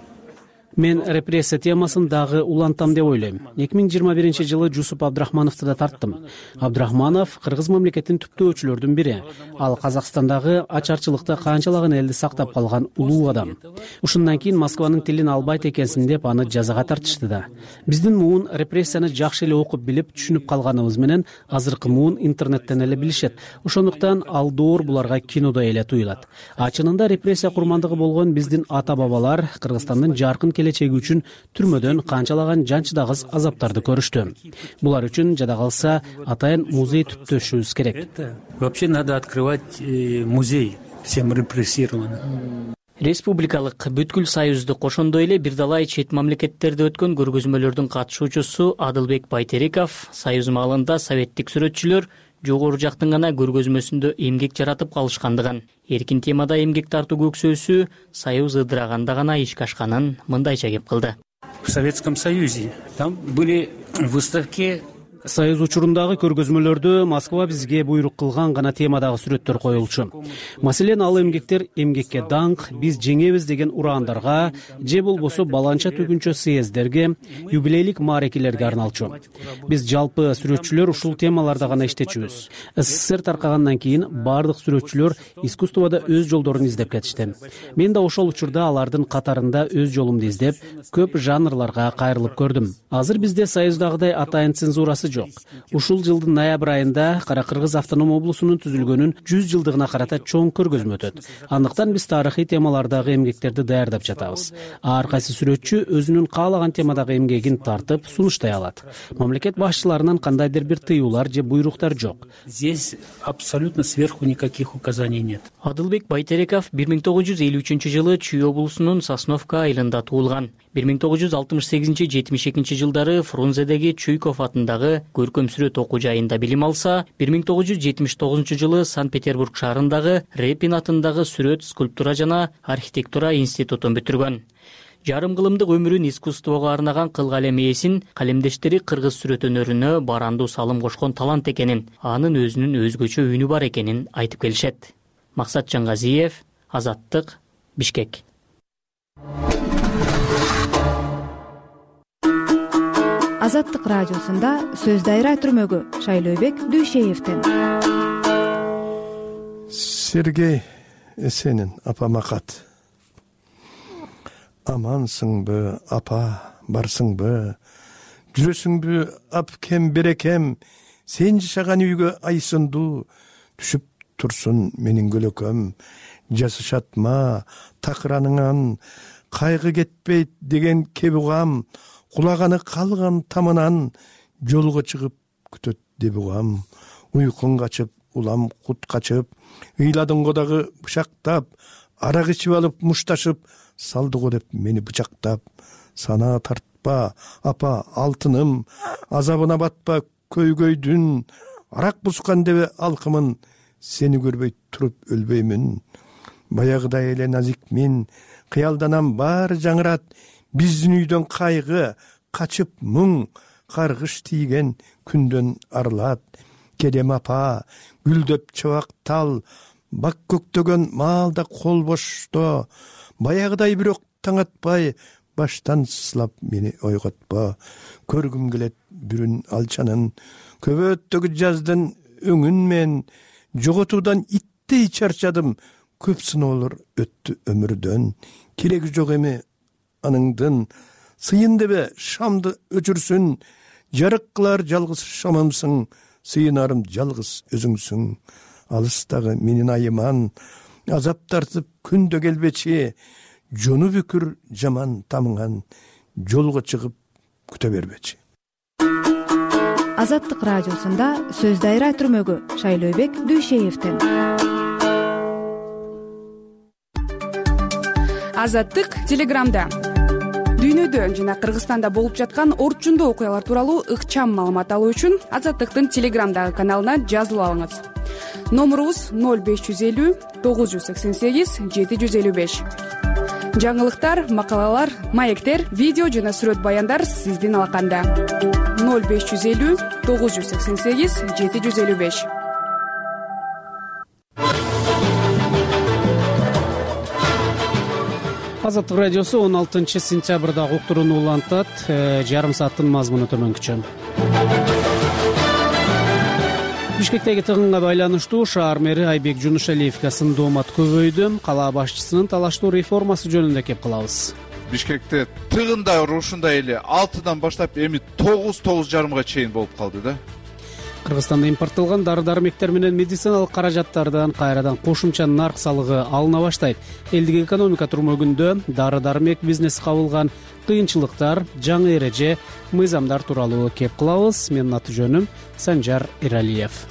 Мен репрессия темасын дагы улантам деп ойлойм. 2021-жылы Жусуп Абдрахмановду да тарттым. Абдрахманов кыргыз мамлекетинин түптөөчүлөрдүн бири. Ал Казакстандагы ачарчылыкта канчалаган элди сактап калган улуу адам. Ушундан кийин Москванын тилин албайт экенсиң деп аны жазага тартышты да. Биздин муун репрессияны жакшы эле окуп билип, түшүнүп калганыбыз менен азыркы муун интернеттен эле билишет. Ошондуктан ал доор буларга кинодо эле туюлат. Чынында репрессия курмандыгы болгон биздин ата-бабалар Кыргызстандын жаркын келечеги үчүн түрмөдөн канчалаган жанчыдагыс азаптарды көрүштү. Булар үчүн жада калса атайын музей түптөшүбүз керек. Вообще надо открывать музей всем репрессированным. Республикалык бүткүл союзду кошондой эле бир далай чет мамлекеттерде өткөн көргөзмөлөрдүн катышуучусу Адылбек Байтериков союз маалында советтик сүрөтчүлөр жогору жактын гана көргөзмөсүндө эмгек жаратып калышкандыгын, эркин темада эмгек тартуу көксөөсү союз ыдыраганда гана ишке ашканын мындайча кеп кылды. В Советском Союзе там были выставки. Союз учурундагы көргөзмөлөрдө Москва бизге буйрук кылган гана темадагы сүрөттөр коюлчу. Маселен, ал эмгектер эмгекке даңк, биз жеңебиз деген ураандарга же болбосо баланча түгүнчө съездерге, юбилейлик маарекелерге арналчу. Биз жалпы сүрөтчүлөр ушул темаларда гана иштечүбүз. СССР таркагандан кийин бардык сүрөтчүлөр искусствода өз жолдорун издеп кетишти. Мен да ошол учурда алардын катарында өз жолумду издеп, көп жанрларга кайрылып көрдүм. Азыр бизде союздагыдай атайын цензурасы жок. Ушул жылдын ноябрь айында Кара Кыргыз автоном облусунун түзүлгөнүн 100 жылдыгына карата чоң көргөзмө өтөт. Андыктан биз тарыхый темалардагы эмгектерди даярдап жатабыз. Ар кайсы сүрөтчү өзүнүн каалаган темадагы эмгегин тартып сунуштай алат. Мамлекет башчыларынан кандайдыр бир тыюулар же буйруктар жок. Здесь абсолютно сверху никаких указаний нет. Адылбек Байтериков 1953-жылы Чүй облусунун Сосновка айылында туулган. 1968-72 жылдары Фрунзедеги Чуйков атындагы көркөм сүрөт окуу жайында билим алса, 1979-жылы Санкт-Петербург шаарындагы Репин атындагы сүрөт, скульптура жана архитектура институтун бүтүргөн. Жарым кылымдык өмүрүн искусствого арнаган Кылгалем ээсин калемдештери кыргыз сүрөт өнөрүнө барандуу салым кошкон талант экенин, анын өзүнүн өзгөчө үнү бар экенин айтып келишет. Максат Жаңгазиев, Азаттык, Бишкек. Азаттык радиосунда сөз дайра түрмөгү Шайлообек Дүйшеевден. Сергей Эсенин апама кат. Амансыңбы, апа, барсыңбы? Жүрөсүңбү, апкем, берекем? Сен жашаган үйгө айсындуу түшүп турсун менин көлөкөм. Жасышатма такыраныңан, кайгы кетпейт деген кеп угам. Кулаганы калган тамынан жолго чыгып күтөт деп угам. Уйкун качып, улам кут качып, ыйладыңго дагы бычактап, арак ичип алып мушташып, салдыго деп мени бычактап. Сана тартпа, апа, алтыным, азабына батпа көйгөйдүн, арак бускан дебе алкымын, сени көрбөй туруп өлбөймүн. Баягыдай эле назикмин, кыялданам баары жаңырат, биздин үйдөн кайгы, качып мұң, каргыш тийген күндөн арылат. Келем апа, гүлдөп чабак тал, бак көктөгөн маалда кол бошто, баягыдай бирок таң атпай, баштан сылап мени ойготпо. Көргүм келет бүрүн алчанын, көбөттөгү жаздын өңүн мен, жоготуудан иттей чарчадым, көп сыноолор өттү өмүрдөн. Кереги жок эми аныңдын, сыйын дебе шамды өчүрсүн, жарык кылар жалгыз шамымсың, сыйынарым жалгыз өзүңсүң. Алыстагы менин айыман, азап тартып күндө келбечи, жону бүкүр жаман тамыңан, жолго чыгып күтө бербечи. Азаттык радиосунда сөз дайра түрмөгү Шайлообек Дүйшеевден. Азаттык телеграмда. Дүйнөдө жана Кыргызстанда болуп жаткан орчундуу окуялар тууралуу ыкчам маалымат алуу үчүн Азаттыктын телеграмдагы каналына жазылып алыңыз. Номурубуз 0550 988 755. Жаңылыктар, макалалар, маектер, видео жана сүрөт баяндар сиздин алаканда. 0550 988 755. Азаттык радиосу 16 сентябрдагы уктурууну улантат. Жарым сааттын мазмуну төмөнкүчө. Бишкектеги тыгынга байланыштуу шаар мэри Айбек Жунушалиевге сын доомат көбөйдү. Кала башчысынын талаштуу реформасы жөнүндө кеп кылабыз. Бишкекте тыгында ушундай эле 6-дан баштап эми 9-9,5 чейин болуп калды да. Кыргызстанда импорттолгон дары-дармектер менен медициналык каражаттардан кайрадан кошумча нарк салыгы алына баштайт. Элдик экономика турмөгүндө дары-дармек бизнеси кабылган кыйынчылыктар, жаңы эреже, мыйзамдар тууралуу кеп кылабыз. Менин аты жөнүм Санжар Иралиев.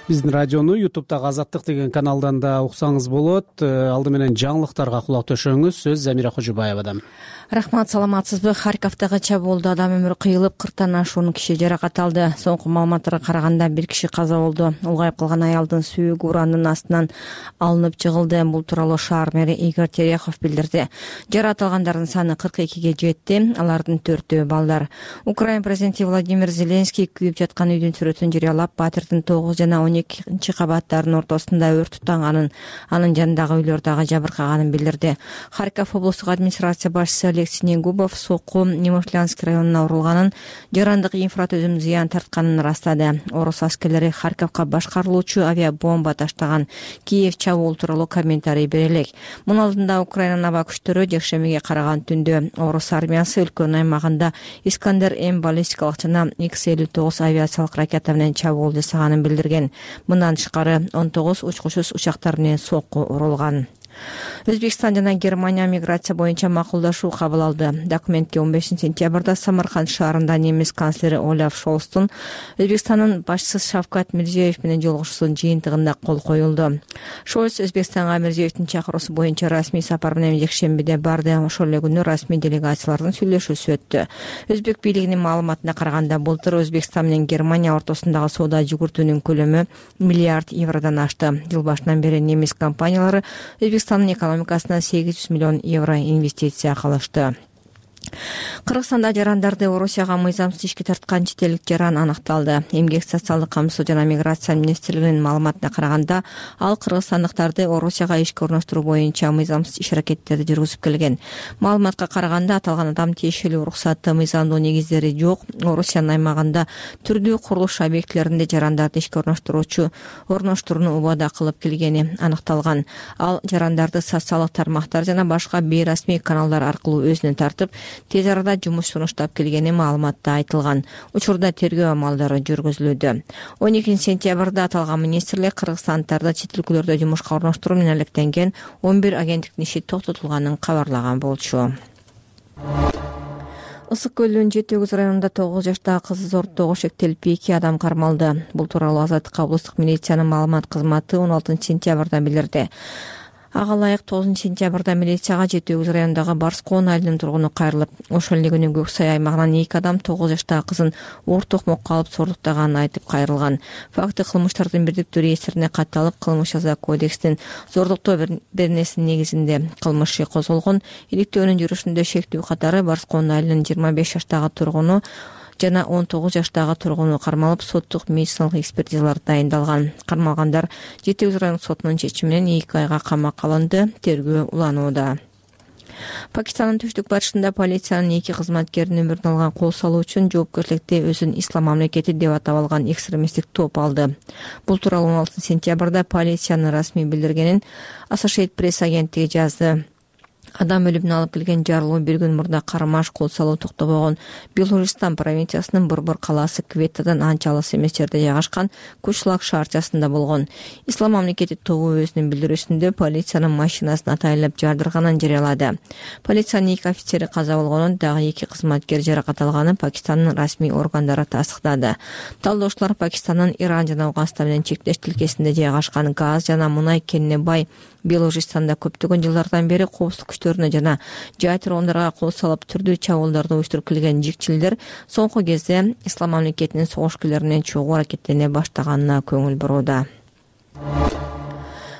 Биздин радиону YouTube'дагы Азаттык деген каналдан да уксаңыз болот. Алды менен жаңылыктарга кулак төшөңүз. Сөз Замира Кожубаевадан. Рахмат, саламатсызбы? Харьковдагы чабуулда адам өмүрү кыйылып, 40тан ашуун киши жаракат алды. Соңку маалыматтарга караганда 1 киши каза болду. Улгайып калган аялдын сүйөгү ураандын астынан алынып чыгылды. Бул тууралуу шаар мэри Игорь Терехов билдирди. Жаракат алгандардын саны 42ге жетти. Алардын 4-өө балдар. Украина президенти Владимир Зеленский күйүп жаткан үйдүн сүрөтүн жарыялап, батирдин 9 жана 12 кабаттарынын ортосунда өрт тутанганын, анын жанындагы үйлөр дагы жабыркаганын билдирди. Харьков облустук администрация башчысы Алексей Губов сокку Немышлянский районуна урулганын, жарандык инфратүзүм зыян тартканын растады. Орус аскерлери Харьковго башкарылуучу авиабомба таштаган. Киев чабуул тууралуу комментарий бере элек. Мунун алдында Украинанын аба күчтөрү жекшембиге караган түндө орус армиясы өлкөнүн аймагында Искандер-М баллистикалык жана X-59 авиациялык ракета менен чабуул жасаганын билдирген. Мындан тышкары 19 учкучсуз учактар менен сокку урулган. Өзбекстан жана Германия миграция боюнча макулдашуу кабыл алды. Документке 15 сентябрда Самарканд шаарында немис канцлери Олаф Шолстун Өзбекстандын башчысы Шавкат Мирзиёев менен жолугушуусунун жыйынтыгында кол коюлду. Шолст Өзбекстанга Мирзиёевдин чакыруусу боюнча расмий сапар менен жекшембиде барды. Ошол эле күнү расмий делегациялардын сүйлөшүүсү өттү. Өзбек бийлигинин маалыматына караганда былтыр Өзбекстан менен Германия ортосундагы соода жүгүртүүнүн көлөмү миллиард евродон ашты. Жыл башынан бери немис компаниялары Өзбекстандын экономикасына 800 миллион евро инвестиция кылышты. Кыргызстанда жарандарды Орусияга мыйзамсыз ишке тарткан чет элдик жаран аныкталды. Эмгек социалдык камсоо жана миграция министрлигинин маалыматына караганда, ал кыргызстандыктарды Орусияга ишке орноштуруу боюнча мыйзамсыз иш-аракеттерди жүргүзүп келген. Маалыматка караганда, аталган адам тиешелүү уруксатты мыйзамдуу негиздери жок Орусиянын аймагында түрдүү курулуш объектилеринде жарандарды ишке орноштурууну убада кылып келгени аныкталган. Ал жарандарды социалдык тармактар жана башка бейрасмий каналдар аркылуу өзүнө тартып, тез арада жумуш сунуштап келгени маалыматта айтылган. Учурда тергөө амалдары жүргүзүлүүдө. 12 сентябрда аталган министрлик кыргызстандыктарды чет өлкөлөрдө жумушка орноштуруу менен алектенген 11 агенттиктин иши токтотулганын кабарлаган болчу. Ысык көлдүн Жети Өгүз районунда 9 жаштагы кызы зордоого шектелип 2 адам кармалды. Бул тууралуу Азаттык облустук милициянын маалымат кызматы 16 сентябрда билдирди. Ага ылайык 9 сентябрда милицияга Жети Өгүз районундагы Барскоон айылынын тургуну кайрылып, ошол эле күнү Көксай аймагынан 2 адам 9 жаштагы кызын оор токмокко алып зордуктаганын айтып кайрылган. Факты кылмыштардын бирдиктүү реестрине катталып, кылмыш жаза кодекстин зордуктоо беренесинин негизинде кылмыш иши козголгон. Иликтөөнүн жүрүшүндө шектүү катары Барскоон айылынын 25 жаштагы тургуну жана 19 жаштагы тургуну кармалып, соттук медициналык экспертизалар дайындалган. Кармалгандар Жети Өгүз райондук сотунун чечими менен 2 айга камакка алынды. Тергөө уланууда. Пакистандын түштүк батышында полициянын 2 кызматкеринин өмүрүн алган кол салуу үчүн жоопкерчиликти өзүн ислам мамлекети деп атап алган экстремисттик топ алды. Бул тууралуу 16 сентябрда полициянын расмий билдиргенин Associated Press агенттиги жазды. Адам өлүмүнө алып келген жарылуу 1 күн мурда Кармаш кол салуу токтобогон Белужистан провинциясынын Борбор калаасы Кветадан анча алыс эмес жерде жайгашкан Кучлак шаарчасында болгон. Ислам мамлекети тобу өзүнүн билдирүүсүндө полициянын машинасын атайлап жардырганын жарыялады. Полициянын 2 офицери каза болгонун, дагы 2 кызматкер жаракат алганын Пакистандын расмий органдары тастыктады. Талдоочулар Пакистандын Иран жана Афганистан менен чектеш тилкесинде жайгашкан газ жана мунай кенине бай Белужистанда көптөгөн жылдардан бери коопсуздук күчтөрүнө жана жай тургундарга кол салып түрдүү чабуулдарды уюштуруп келген жикчилдер соңку кезде ислам мамлекетинин согушкерлери менен чогуу аракеттене баштаганына көңүл бурууда.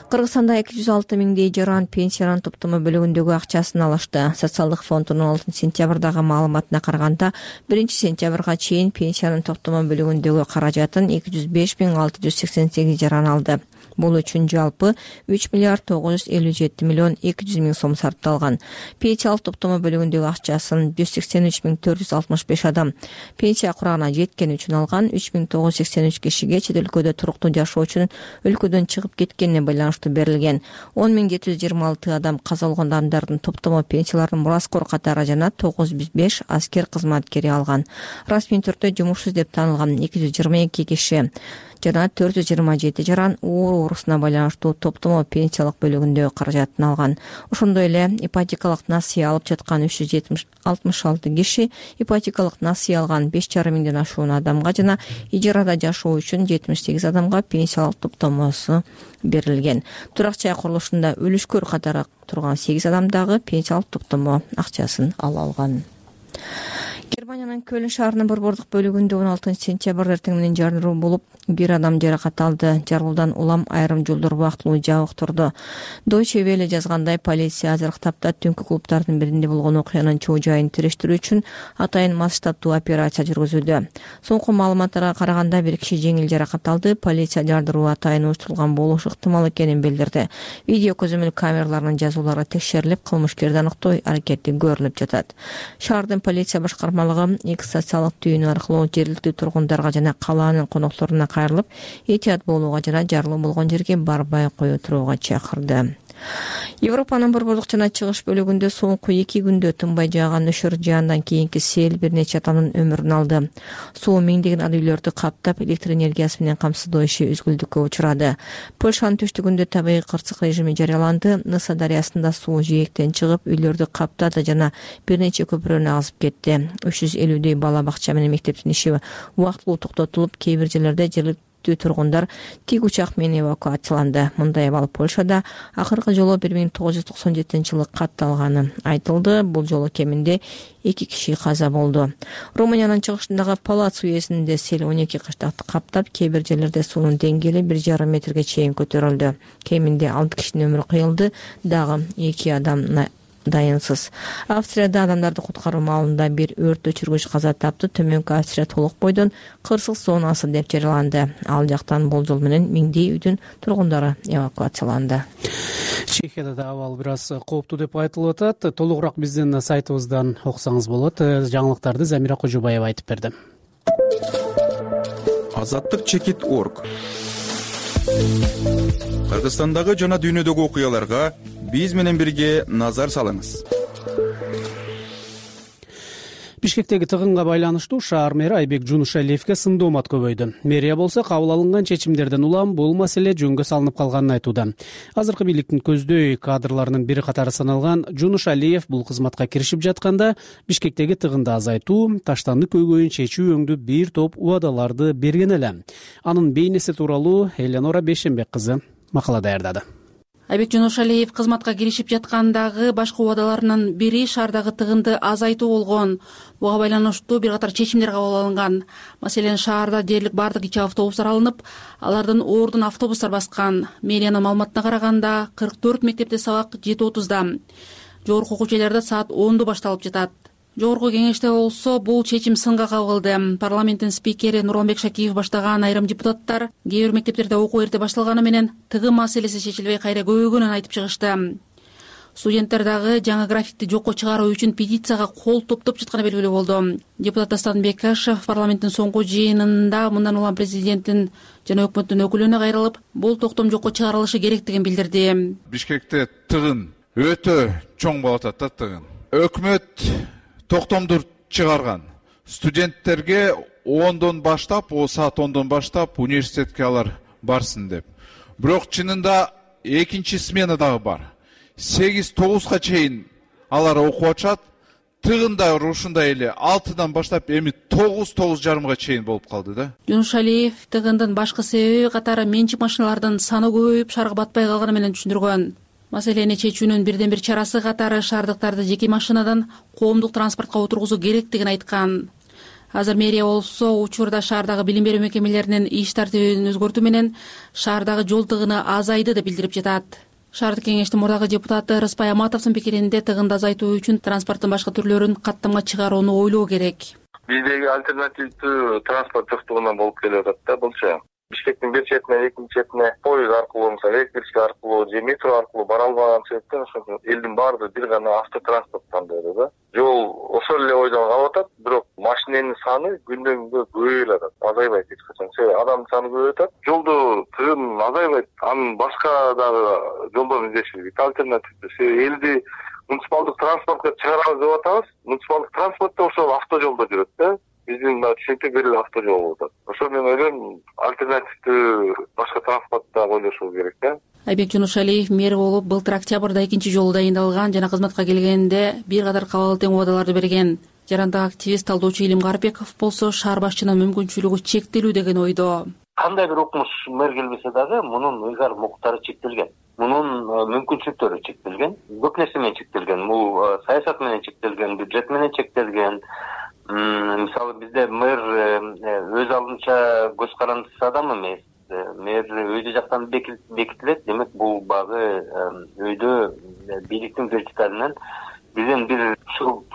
Кыргызстанда 206 миңдей жаран пенсиянын топтомо бөлүгүндөгү акчасын алышты. Социалдык фондунун 6 сентябрдагы маалыматына караганда 1 сентябрга чейин пенсиянын топтомо бөлүгүндөгү каражатын 205.688 жаран алды. Бул үчүн жалпы 3.957.200.000 сом сарпталган. Пенсиялык топтомо бөлүгүндөгү акчасын 183.465 адам пенсия курагына жеткен үчүн алган. 3.983 кишиге чет өлкөдө туруктуу жашоо үчүн өлкөдөн чыгып кеткенине байланыштуу берилген. 10.726 адам каза болгон адамдардын топтомо пенсияларын мураскор катары жана 905 аскер кызматкери алган. Расмий түрдө жумушсуз деп таанылган 222 киши жана 427 жаран оорусуна байланыштуу топтомо пенсиялык бөлүгүндөгү каражатын алган. Ошондой эле ипотекалык насыя алып жаткан 366 киши, ипотекалык насыя алган 5,5 миңден ашуун адамга жана ижарада жашоо үчүн 78 адамга пенсиялык топтомосу берилген. Турак жай курулушунда өлүшкөр катары турган 8 адам дагы пенсиялык топтомо акчасын ала алган. Германиянын Көлн шаарынын борбордук бөлүгүндө 16 сентябрь эртең менен жарылуу болуп, 1 адам жаракат алды. Жарылуудан улам айрым жолдор убактылуу жабык турду. Deutsche Welle жазгандай, полиция азыркы тапта түнкү клубдардын биринде болгон окуянын чоо жайын териштирүү үчүн атайын масштабтуу операция жүргүзүүдө. Соңку маалыматтарга караганда 1 киши жеңил жаракат алды. Полиция жардыруу атайын уюштурулган болушу ыктымал экенин билдирди. Видео көзөмөл камераларынын жазуулары текшерилип, кылмышкерди аныктоо аракети көрүлүп жатат. Шаардын полиция башкармалыгы X социалдык түйүнү аркылуу жергиликтүү тургундарга жана калаанын конокторуна кайрылып, этият болууга жана жарылуу болгон жерге барбай кое турууга чакырды. Европанын борбордук жана чыгыш бөлүгүндө соңку 2 күндө тынбай жааган нөшөр жаандан кийинки сел бир нече адамдын өмүрүн алды. Суу миңдеген ар үйлөрдү каптап, электр энергиясы менен камсыздоо иши үзгүлтүккө учурады. Польшанын түштүгүндө табигый кырсык режими жарыяланды. Ныса дарыясында суу жээктен чыгып, үйлөрдү каптады жана бир нече көпүрөнү агызып кетти. 350дөй бала бакча менен мектептин иши убактылуу токтотулуп, кээ бир жерлерде жергиликтүү тургундар тик учак менен эвакуацияланды. Мындай абал Польшада акыркы жолу 1997-жылы катталганы айтылды. Бул жолу кеминде 2 киши каза болду. Румыниянын чыгышындагы Палац уездинде сел 12 кыштакты каптап, кээ бир жерлерде суунун деңгээли 1,5 метрге чейин көтөрүлдү. Кеминде 6 кишинин өмүрү кыйылды, дагы 2 адам дайынсыз. Австрияда адамдарды куткаруу маалында бир өрт өчүргүч каза тапты. Төмөнкү Австрия толук бойдон кырсык зонасы деп жарыяланды. Ал жактан болжол менен миңдей үйдүн тургундары эвакуацияланды. Чехияда да абал бир аз кооптуу деп айтылып атат. Толугураак биздин сайтыбыздан окусаңыз болот. Жаңылыктарды Замира Кожубаева айтып берди. Азаттык чекит.org. Кыргызстандагы жана дүйнөдөгү окуяларга биз менен бирге назар салыңыз. Бишкектеги тыгынга байланыштуу шаар мэри Айбек Жунушалиевге сындоомат көбөйдү. Мэрия болсо кабыл алынган чечимдерден улам бул маселе жөнгө салынып калганын айтууда. Азыркы бийликтин көздөй кадрларынын бири катары саналган Жунушалиев бул кызматка киришип жатканда Бишкектеги тыгынды азайтуу, таштанды көйгөйүн чечүү өңдүү бир топ убадаларды берген эле. Анын бейнеси тууралуу Эленора Бейшенбек кызы макала даярдады. Айбек Жунушалиев кызматка киришип жаткандагы башкы убадаларынын бири шаардагы тыгынды азайтуу болгон. Буга байланыштуу бир катар чечимдер кабыл алынган. Маселен, шаарда дээрлик бардык ичи автобустар алынып, алардын ордун автобустар баскан. Мэриянын маалыматына караганда 44 мектепте сабак 7:30да, жогорку окуу жайларда саат 10:00 башталып жатат. Жогорку кеңеште болсо бул чечим сынга кабылды. Парламенттин спикери Нурланбек Шакиев баштаган айрым депутаттар кээ бир мектептерде окуу эрте башталганы менен тыгын маселеси чечилбей кайра көбөйгөнүн айтып чыгышты. Студенттер дагы жаңы граффити жокко чыгаруу үчүн петицияга кол топтоп жатканы белгилүү болду. Депутат Дастан Бекашев парламенттин соңку жыйынында мындан улам президенттин жана өкмөттүн өкүлүнө кайрылып, бул токтом жокко чыгарылышы керектигин билдирди. Бишкекте тыгын өтө чоң болуп атат да тыгын. Өкмөт токтомду чыгарган. Студенттерге 10-дон баштап, саат 10-дон баштап университетке алар барсын деп. Бирок чынында экинчи смена дагы бар. 8-9га чейин алар окуп атышат. Тыгын да ушундай эле 6-дан баштап эми 9-9:30га чейин болуп калды да. Жунушалиев тыгындын башкы себеби катары менчик машиналардын саны көбөйүп, шаарга батпай калганы менен түшүндүргөн. Маселени чечүүнүн бирден бир чарасы катары шаардыктарды жеке машинадан коомдук транспортко отургузуу керектигин айткан. Азыр мэрия болсо учурда шаардагы билим берүү мекемелеринин иш тартибин өзгөртүү менен шаардагы жол тыгыны азайды деп билдирип жатат. Шаардык кеңештин мурдагы депутаты Рыспай Аматовдун пикиринде тыгынды азайтуу үчүн транспорттун башка түрлөрүн каттамга чыгарууну ойлоо керек. Биздеги альтернативдүү транспорт жоктугунан болуп келип атат да булчу. Бишкектин бир четинен экинчи четине поезд аркылуу, мисалы электричка аркылуу же метро аркылуу бара албаган себептен ошо элдин баардыгы бир гана автотранспорт тандоодо да. Жол ошол эле ойдон калып атат, бирок машиненин саны күндөн күнгө көбөйүп атат, азайбайт эч качан. Себеби адамдын саны көбөйүп атат, жолдо тыгын азайбайт. Анын башка дагы жолдорун издеши керек, альтернативдүү. Себеби элди муниципалдык транспортко чыгарабыз деп атабыз. Муниципалдык транспорт да ошол автожолдо жүрөт да. Биздин түшүнүктө бир эле автожол болуп атат. Ошо мен ойлойм, альтернативдүү башка транспортто ойлошуу керек да. Айбек Жунушалиев мэр болуп былтыр октябрда 2-жолу дайындалган жана кызматка келгенде бир катар кабыл тең убадаларды берген. Жарандык активист талдоочу Илим Карпеков болсо шаар башчынын мүмкүнчүлүгү чектелүү деген ойдо. Кандай бир укмуш мэр келбесе дагы мунун ыйгарым укуктары чектелген. Мунун мүмкүнчүлүктөрү чектелген. Көп нерсе менен чектелген. Бул саясат менен чектелген, бюджет менен чектелген. Мисалы бизде мэр өз алдынча көз карандысыз адам эмес. Мэр өзү жактан бекитилет. Демек бул багы өйдө бийликтин вертикалынан бизден бир шуруп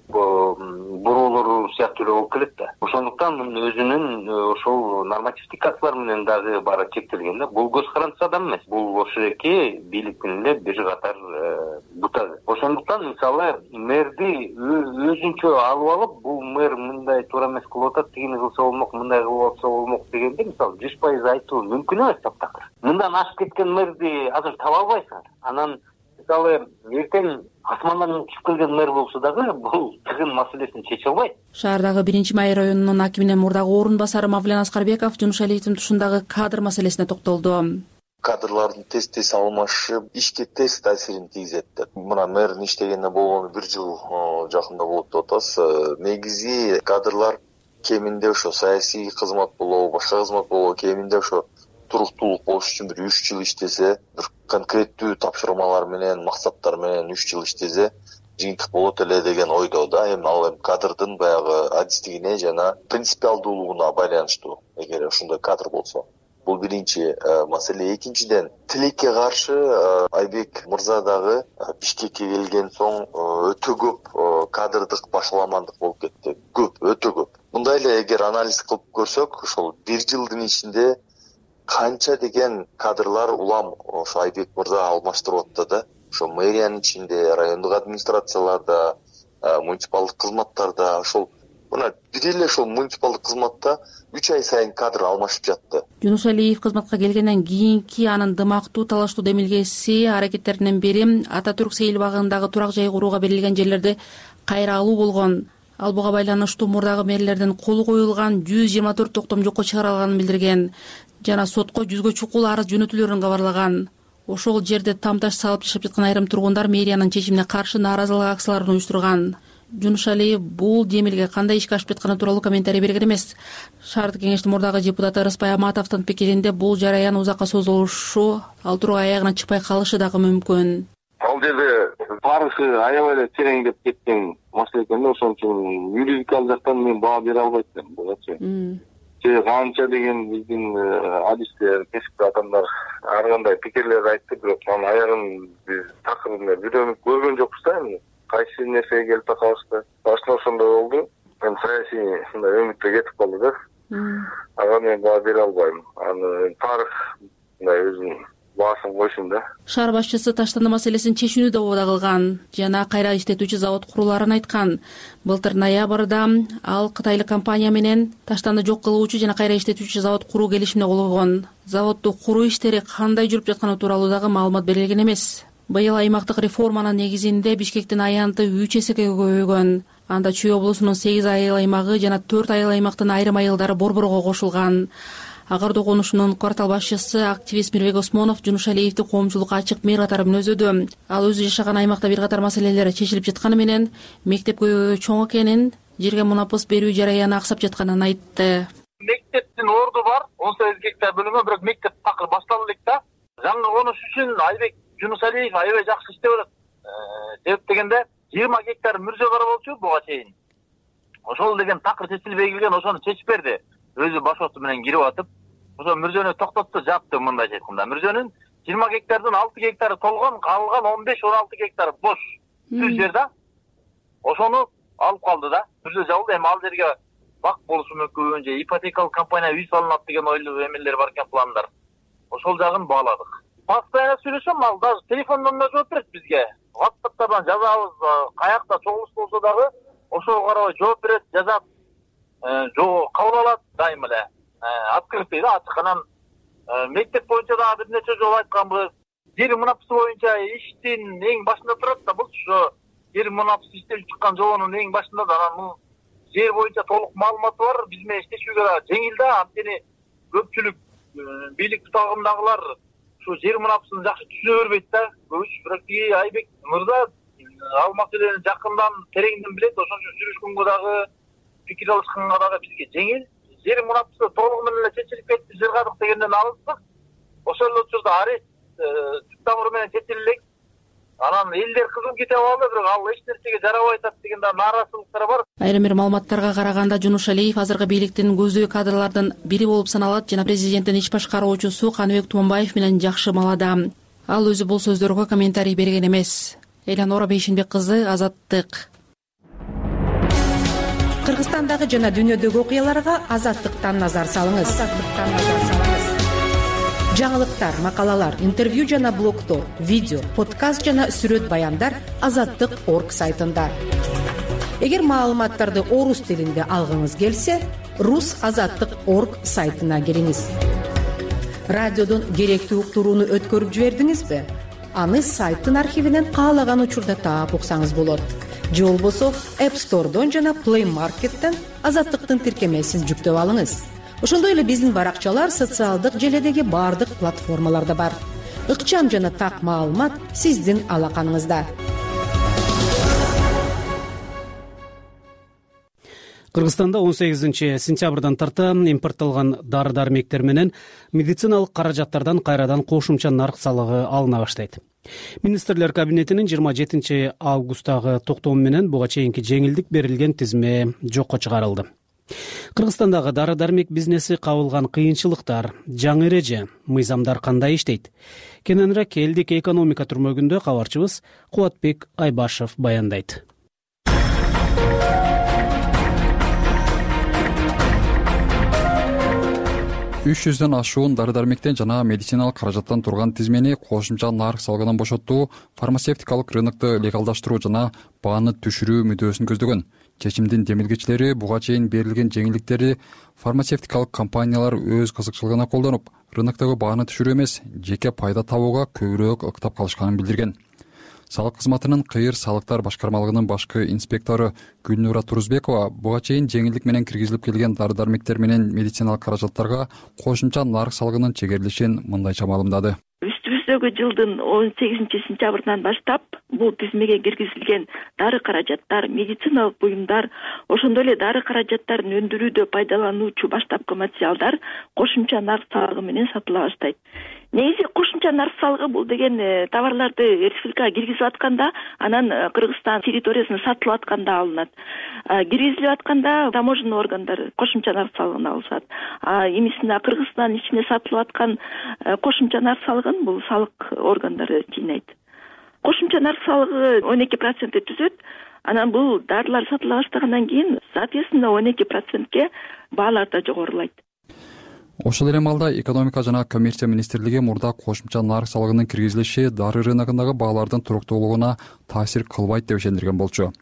буроолору сыяктуу эле болуп келет да. Ошондуктан өзүнүн ошол нормативдик актылар менен дагы баары чектелген да. Бул көз карандысыз адам эмес. Бул ошо эки бийликтин эле бир катар бутагы. Ошондуктан мисалы мэрди өзүнчө алып алып, бул мэр мындай туура эмес кылып атат, тигини кылса болмок, мындай кылып атса болмок дегенде мисалы 100% айтуу мүмкүн эмес таптакыр. Мындан ашып кеткен мэрди азыр таба албайсың. Анан мисалы эртең асмандан түшүп келген мэр болсо дагы бул тыгын маселесин чече албайт. Шаардагы 1-Май районунун акиминин мурдагы орун басары Мавлен Аскарбеков Жунушалиевдин тушундагы кадр маселесине токтолду. Кадрлардын тез алмашып, ишке тез таасирин тийгизет деп. Мына мэрдин иштегенине болгону 1 жыл жакында болот деп атабыз. Негизи кадрлар кеминде ошо саясий кызмат болобу, башка кызмат болобу, кеминде ошо туруктуулук болуш үчүн бир 3 жыл иштесе, бир конкреттүү тапшырмалар менен, максаттар менен 3 жыл иштесе, жыйынтык болот эле деген ойдо да. Ал кадрдын баягы адистигине жана принципиалдуулугуна байланыштуу, эгер ошондой кадр болсо. Бул биринчи маселе. Экинчиден, тилекке каршы Айбек мырза дагы Бишкекке келген соң өтө көп кадрдык башаламандык болуп кетти. Өтө көп. Мындай эле эгер анализ кылып көрсөк, ошол 1 жылдын ичинде канча деген кадрлар улам ошо Айбек мырза алмаштырып атты да. Ошо мэриянын ичинде, райондук администрацияларда, муниципалдык кызматтарда, ошол мына бир эле ошол муниципалдык кызматта 3 ай сайын кадр алмашып жатты. Жунушалиев кызматка келгенден кийинки анын дымактуу талаштуу демилгеси аракеттеринин бири Ататүрк сейил багындагы турак жай курууга берилген жерлерди кайра алуу болгон. Ал буга байланыштуу мурдагы мэрлердин колу коюлган 124 токтом жокко чыгарылганын билдирген жана сотко 100гө чукул арыз жөнөтүлөрүн кабарлаган. Ошол жерде тамташ салып жашап жаткан айрым тургундар мэриянын чечимине каршы нааразылык акцияларын уюштурган. Жунушалиев бул демилге кандай ишке ашып жатканы тууралуу комментарий берген эмес. Шаардык кеңештин мурдагы депутаты Рыспай Аматовдун пикиринде бул жараян узакка созулушу, ал тургай аягына чыкпай калышы дагы мүмкүн. Ал жерде барышы аябай эле тереңдеп кеткен маселе экен да, ошон үчүн юридикалык жактан мен баа бере албайт элем бугачы. Канча деген биздин адистер, кесиптүү адамдар ар кандай пикирлер айтты, бирок анын аягын биз такыр бирөөнү көргөн жокпуз да. Кайсы нерсеге келип такабызды. Башында ошондой болду. Мен саясий мындай өмүттө кетип калды да. Ага мен баа бере албайм. Аны тарых мындай өзүнүн баасын койсун да. Шаар башчысы таштанды маселесин чечүүнү да убада кылган жана кайра иштетүүчү завод курулаарын айткан. Былтыр ноябрда ал кытайлык компания менен таштанды жок кылуучу жана кайра иштетүүчү завод куруу келишимине кол койгон. Заводду куруу иштери кандай жүрүп жатканы тууралуу дагы маалымат берилген эмес. Быйыл аймактык реформанын негизинде Бишкектин аянты 3 эсеге көбөйгөн. Анда Чүй облусунун 8 айыл аймагы жана 4 айыл аймактын айрым айылдары борборго кошулган. Агарды конушунун квартал башчысы активист Мирбек Осмонов Жунушалиевди коомчулукка ачык мэр катары мүнөздөдү. Ал өзү жашаган аймакта бир катар маселелер чечилип жатканы менен мектеп көбөйгө чоң экенин, жерге мунапыс берүү жараяны аксап жатканын айтты. Мектептин орду бар, 18 гектар бөлүнгөн, бирок мектеп такыр башталды элек да. Жаңы конуш үчүн Айбек Жунушалиев аябай жакшы иштеп атат. Себеп дегенде 20 гектар мүрзө бар болчу буга чейин. ошол деген такыр чечилбей келген, ошону чечип берди. Өзү башоосу менен кирип атып, ошо мирзөнү токтотту, жапты. Мындайча айтканда, мирзөнүн 20 гектардын 6 гектары толгон, калган 15-16 гектар бош түз жер да. Ошону алып калды да. Мирзө жабылды. Эми ал жерге бак болушу мүмкүн, же ипотекалык компания үй салынат деген ойлуу эмелер бар экен, пландар. Ошол жагын бааладык. Постоянно сүйлөшөм, ал даже телефондон да жооп берет бизге. WhatsApp'тан жазабыз, каякта чогулуш болсо дагы ошого карабай жооп берет, жазат. Кабыл алат дайым эле. Открытый да, ачык. Анан мектеп боюнча дагы бир нече жолу айтканбыз. Жер мунапысы боюнча иштин эң башында турат да, бул ошо жер мунапысы иштелип чыккан жобонун эң башында да. Анан бул жер боюнча толук маалыматы бар, биз менен иштешүүгө да жеңил да. Анткени көпчүлүк бийлик тутагындагылар ушу жер мунапысын жакшы түшүнө бербейт да. Көбүч бирок Айбек мырза ал маселени жакындан тереңден билет. Ошон үчүн сүйлөшкөнгө дагы, пикир алышканга дагы бизге жеңил. Жер мунапысы толугу менен эле чечилип кетти, жыргадык дегенден алыстык. Ошол эле учурда арест түп тамыры менен чечилелек. Анан элдер кызым кете алды, бирок ал эч нерсеге жарабай атат деген да нааразычылыктар бар. Айрым бир маалыматтарга караганда Жунушалиев азыркы бийликтин көздөй кадрлардын бири болуп саналат жана президенттин иш башкаруучусу Каныбек Туманбаев менен жакшы маалада. Ал өзү бул сөздөргө комментарий берген эмес. Эланора Бейшенбек кызы, Азаттык. Кыргызстандагы жана дүйнөдөгү окуяларга Азаттыктан назар салыңыз. Жаңылыктар, макалалар, интервью жана блогдор, видео, подкаст жана сүрөт баяндар Азаттык.org сайтында. Эгер маалыматтарды орус тилинде алгыңыз келсе, rus.azattik.org сайтына кириңиз. Радиодон керектүү уктурууну өткөрүп жибердиңизби? Аны сайттын архивинен каалаган учурда таап уксаңыз болот. Же болбосо App Store'дон жана Play Market'тен Азаттыктын тиркемесин жүктөп алыңыз. Ошондой эле биздин баракчалар социалдык желедеги бардык платформаларда бар. Ыкчам жана так маалымат сиздин алаканыңызда. Кыргызстанда 18-сентябрдан тарта импортталган дары-дармектер менен медициналык каражаттардан кайрадан кошумча нарк салыгы алына баштайт. Министрлер кабинетинин 27-августтагы токтому менен буга чейинки жеңилдик берилген тизме жокко чыгарылды. Кыргызстандагы дары-дармек бизнеси кабылган кыйынчылыктар, жаңы эреже, мыйзамдар кандай иштейт? Кененирээк элдик экономика түрмөгүндө кабарчыбыз Кубатбек Айбашев баяндайт. 300дөн ашуун дары-дармектен жана медициналык каражаттан турган тизмени кошумча нарк салыгынан бошоттуу, фармацевтикалык рынокту легалдаштыруу жана бааны түшүрүү мүдөөсүн көздөгөн. Чечимдин демилгечилери буга чейин берилген жеңилдиктерди фармацевтикалык компаниялар өз кызыкчылыгына колдонуп, рыноктогу бааны түшүрүү эмес, жеке пайда табууга көбүрөөк ыктап калышканын билдирген. Салык кызматынын кыйыр салыктар башкармалыгынын башкы инспектору Гүлнура Турузбекова буга чейин жеңилдик менен киргизилип келген дары-дармектер менен медициналык каражаттарга кошумча нарк салыгынын чегерилишин мындайча маалымдады. Үстүбүздөгү жылдын 18-сентябрынан баштап бул тизмеге киргизилген дары каражаттар, медициналык буюмдар, ошондой эле дары каражаттарын өндүрүүдө пайдалануучу баштапкы материалдар кошумча нарк салыгы менен сатыла баштайт. Негизи кошумча нарк салыгы бул деген товарларды республикага киргизип атканда, анан Кыргызстан территориясына сатылып атканда алынат. Киргизилип атканда таможенный органдар кошумча нарк салыгын алышат. Эмесине Кыргызстан ичине сатылып аткан кошумча нарк салыгын бул салык органдары жыйнайт. Кошумча нарк салыгы 12% түзөт. Анан бул дарылар сатыла баштагандан кийин, соответственно, 12%ке баалар да жогорулайт. Ошол эле маалда экономика жана коммерция министрлиги мурда кошумча нарк салыгынын киргизилиши дары рыногундагы баалардын туруктуулугуна таасир кылбайт деп ишендирген болчу.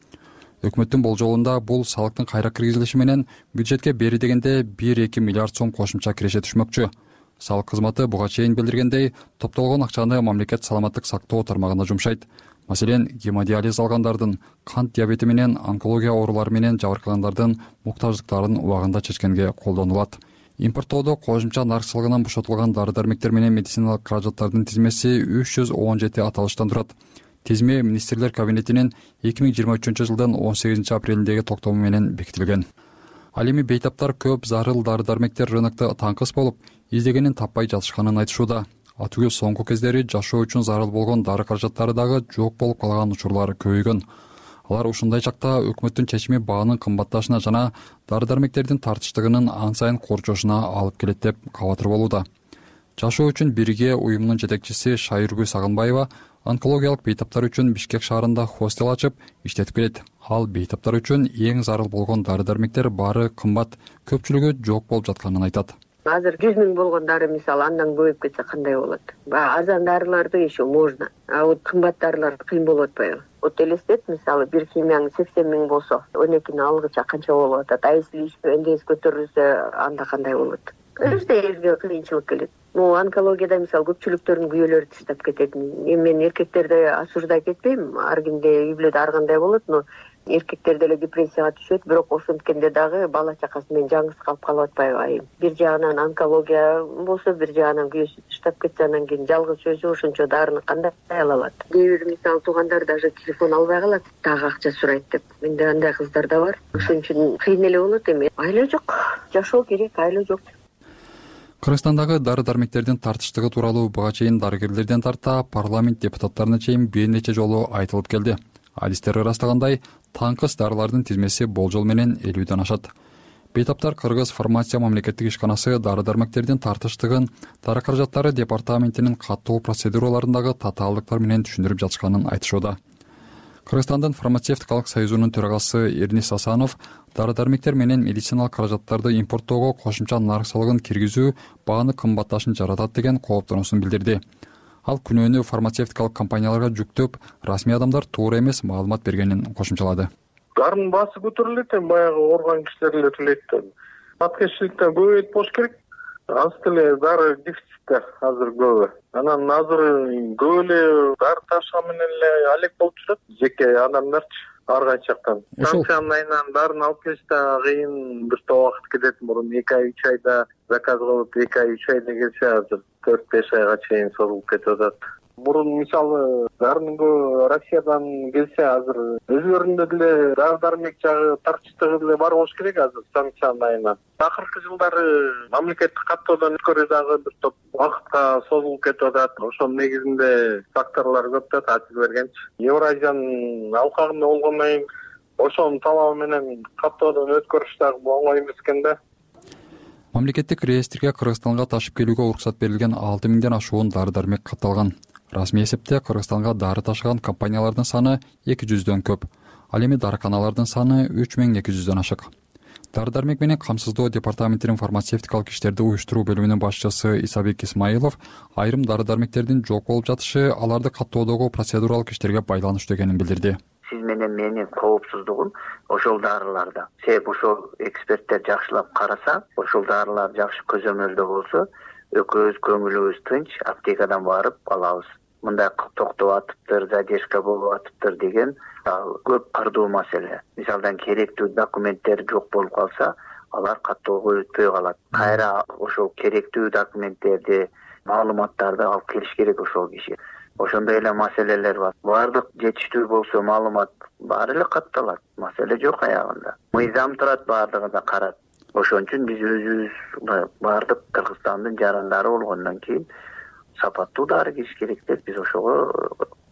Өкмөттүн болжолунда бул салыктын кайра киргизилиши менен бюджетке бери дегенде 1-2 миллиард сом кошумча киреше түшмөкчү. Салык кызматы буга чейин билдиргендей, топтолгон акчаны мамлекет саламаттык сактоо тармагына жумшайт. Маселен, гемодиализ алгандардын, кант диабети менен, онкология оорулары менен жабыркагандардын муктаждыктарын убагында чечкенге колдонулат. Импорттоодо кошумча нарк салыгынан бошотулган дары-дармектер менен медициналык каражаттардын тизмеси 317 аталыштан турат. Тизме министрлер кабинетинин 2023-жылдын 18-апрелиндеги токтому менен бекитилген. Ал эми бейтаптар көп зарыл дары-дармектер рынокто таңкыс болуп, издегенин таппай жатышканын айтышууда. Атүгүл соңку кездери жашоо үчүн зарыл болгон дары каражаттары дагы жок болуп калган учурлар көбөйгөн. Алар ушундай чакта өкмөттүн чечими баанын кымбатташына жана дары-дармектердин тартыштыгынын ан сайын корчошуна алып келет деп кабатыр болууда. Жашоо үчүн бирге уюмунун жетекчиси Шайыргүл Сагынбаева онкологиялык бейтаптар үчүн Бишкек шаарында хостел ачып иштетип келет. Ал бейтаптар үчүн эң зарыл болгон дары-дармектер баары кымбат, көпчүлүгү жок болуп жатканын айтат. Азыр 100 000 болгон дары мисалы андан көбөйүп кетсе кандай болот? Азан дарыларды еще можно, а вот кымбат дарылар кыйын болуп атпайбы? Вот элестет, мисалы бир химияң 80 000 болсо, 12-ни алгыча канча болуп атат? А если эндес көтөрүлсө, анда кандай болот? Каждый элге кыйынчылык келет. Онкологияда мисалы көпчүлүктөрдүн күйөөлөрү таштап кетет. Мен эркектерди осуждать этпейм, ар кимде үй бүлөдө ар кандай болот, но эркектер деле депрессияга түшөт, бирок ошенткенде дагы бала чакасы менен жаңгыз калып калып атпайбы айым? Бир жагынан онкология болсо, бир жагынан күйөөсү таштап кетсе, анан кийин жалгыз өзү ошончо дарыны кандай ала алат? Кээ бир мисалы туугандар даже телефон албай калат, дагы акча сурайт деп. Менде андай кыздар да бар. Ошон үчүн кыйын эле болот эми. Айла жок, жашоо керек, айла жок. Кыргызстандагы дары-дармектердин тартыштыгы тууралуу буга чейин дарыгерлерден тарта парламент депутаттарына чейин бир нече жолу айтылып келди. Адистер ырастагандай, таңкыс дарылардын тизмеси болжол менен 50ден ашат. Бейтаптар Кыргыз фармация мамлекеттик ишканасы дары-дармектердин тартыштыгын дары каражаттары департаментинин каттоо процедураларындагы татаалдыктар менен түшүндүрүп жатышканын айтышууда. Кыргызстандын фармацевтикалык союзунун төрагасы Эрнис Асанов дары-дармектер менен медициналык каражаттарды импорттоого кошумча нарк салыгын киргизүү бааны кымбатташын жаратат деген кооптонуусун билдирди. Ал күнөөнү фармацевтикалык компанияларга жүктөп, расмий адамдар туура эмес маалымат бергенин кошумчалады. Дарынын баасы көтөрүлөт, баягы ооруган кишилер эле төлөйт. Аткезчиликтен көбөйүп болуш керек. Аз деле дары дефицитте азыр көбү. Анан азыр көп эле дары ташкан менен эле алек болуп жүрөт жеке адамдарчы ар кайсы жактан. Станциянын айынан дарын алып келиште кыйын бир топ убакыт кетет. Мурун 2 ай 3 айда заказ кылып 2 ай 3 айда келсе, азыр 4-5 айга чейин созулуп кетип атат. Мурун мисалы дарынын Россиядан келсе, азыр өзүлөрүндө деле дары-дармек жагы тартыштыгы деле бар болуш керек азыр станциянын айынан. Акыркы жылдары мамлекеттик каттоодон өткөрүү дагы бир топ убакытка созулуп кетип атат. Ошонун негизинде факторлор көп да таасир бергенчи. Евразиянын алкагында болгондон кийин ошонун талабы менен каттоодон өткөрүш дагы оңой эмес экен да. Мамлекеттик реестрге Кыргызстанга ташып келүүгө уруксат берилген 6 000ден ашуун дары-дармек катталган. Расмий эсепте Кыргызстанга дары ташыган компаниялардын саны 200дөн көп. Ал эми дарыканалардын саны 3200дөн ашык. Дары-дармек менен камсыздоо департаментинин фармацевтикалык иштерди уюштуруу бөлүмүнүн башчысы Исабек Исмаилов айрым дары-дармектердин жок болуп жатышы аларды каттоодогу процедуралык иштерге байланыштуу экенин билдирди. Сиз менен менин коопсуздугум ошол дарыларда. Себеп ошол эксперттер жакшылап караса, ошол дарылар жакшы көзөмөлдө болсо, экөөбүз көңүлүбүз тынч аптекадан барып алабыз. Мындай токтоп атыптыр, задержка болуп атыптыр деген көп кырдуу маселе. Мисалдан керектүү документтер жок болуп калса, алар каттоого өтпөй калат. Кайра ошол керектүү документтерди, маалыматтарды алып келиш керек ошол киши. Ошондой эле маселелер бар. Бардык жетиштүү болсо маалымат баары эле катталат. Маселе жок аягында. Мыйзам турат, бардыгына карат. Ошон үчүн биз өзүбүз бардык Кыргызстандын жарандары болгондон кийин сапаттуу дары кириш керек деп биз ошого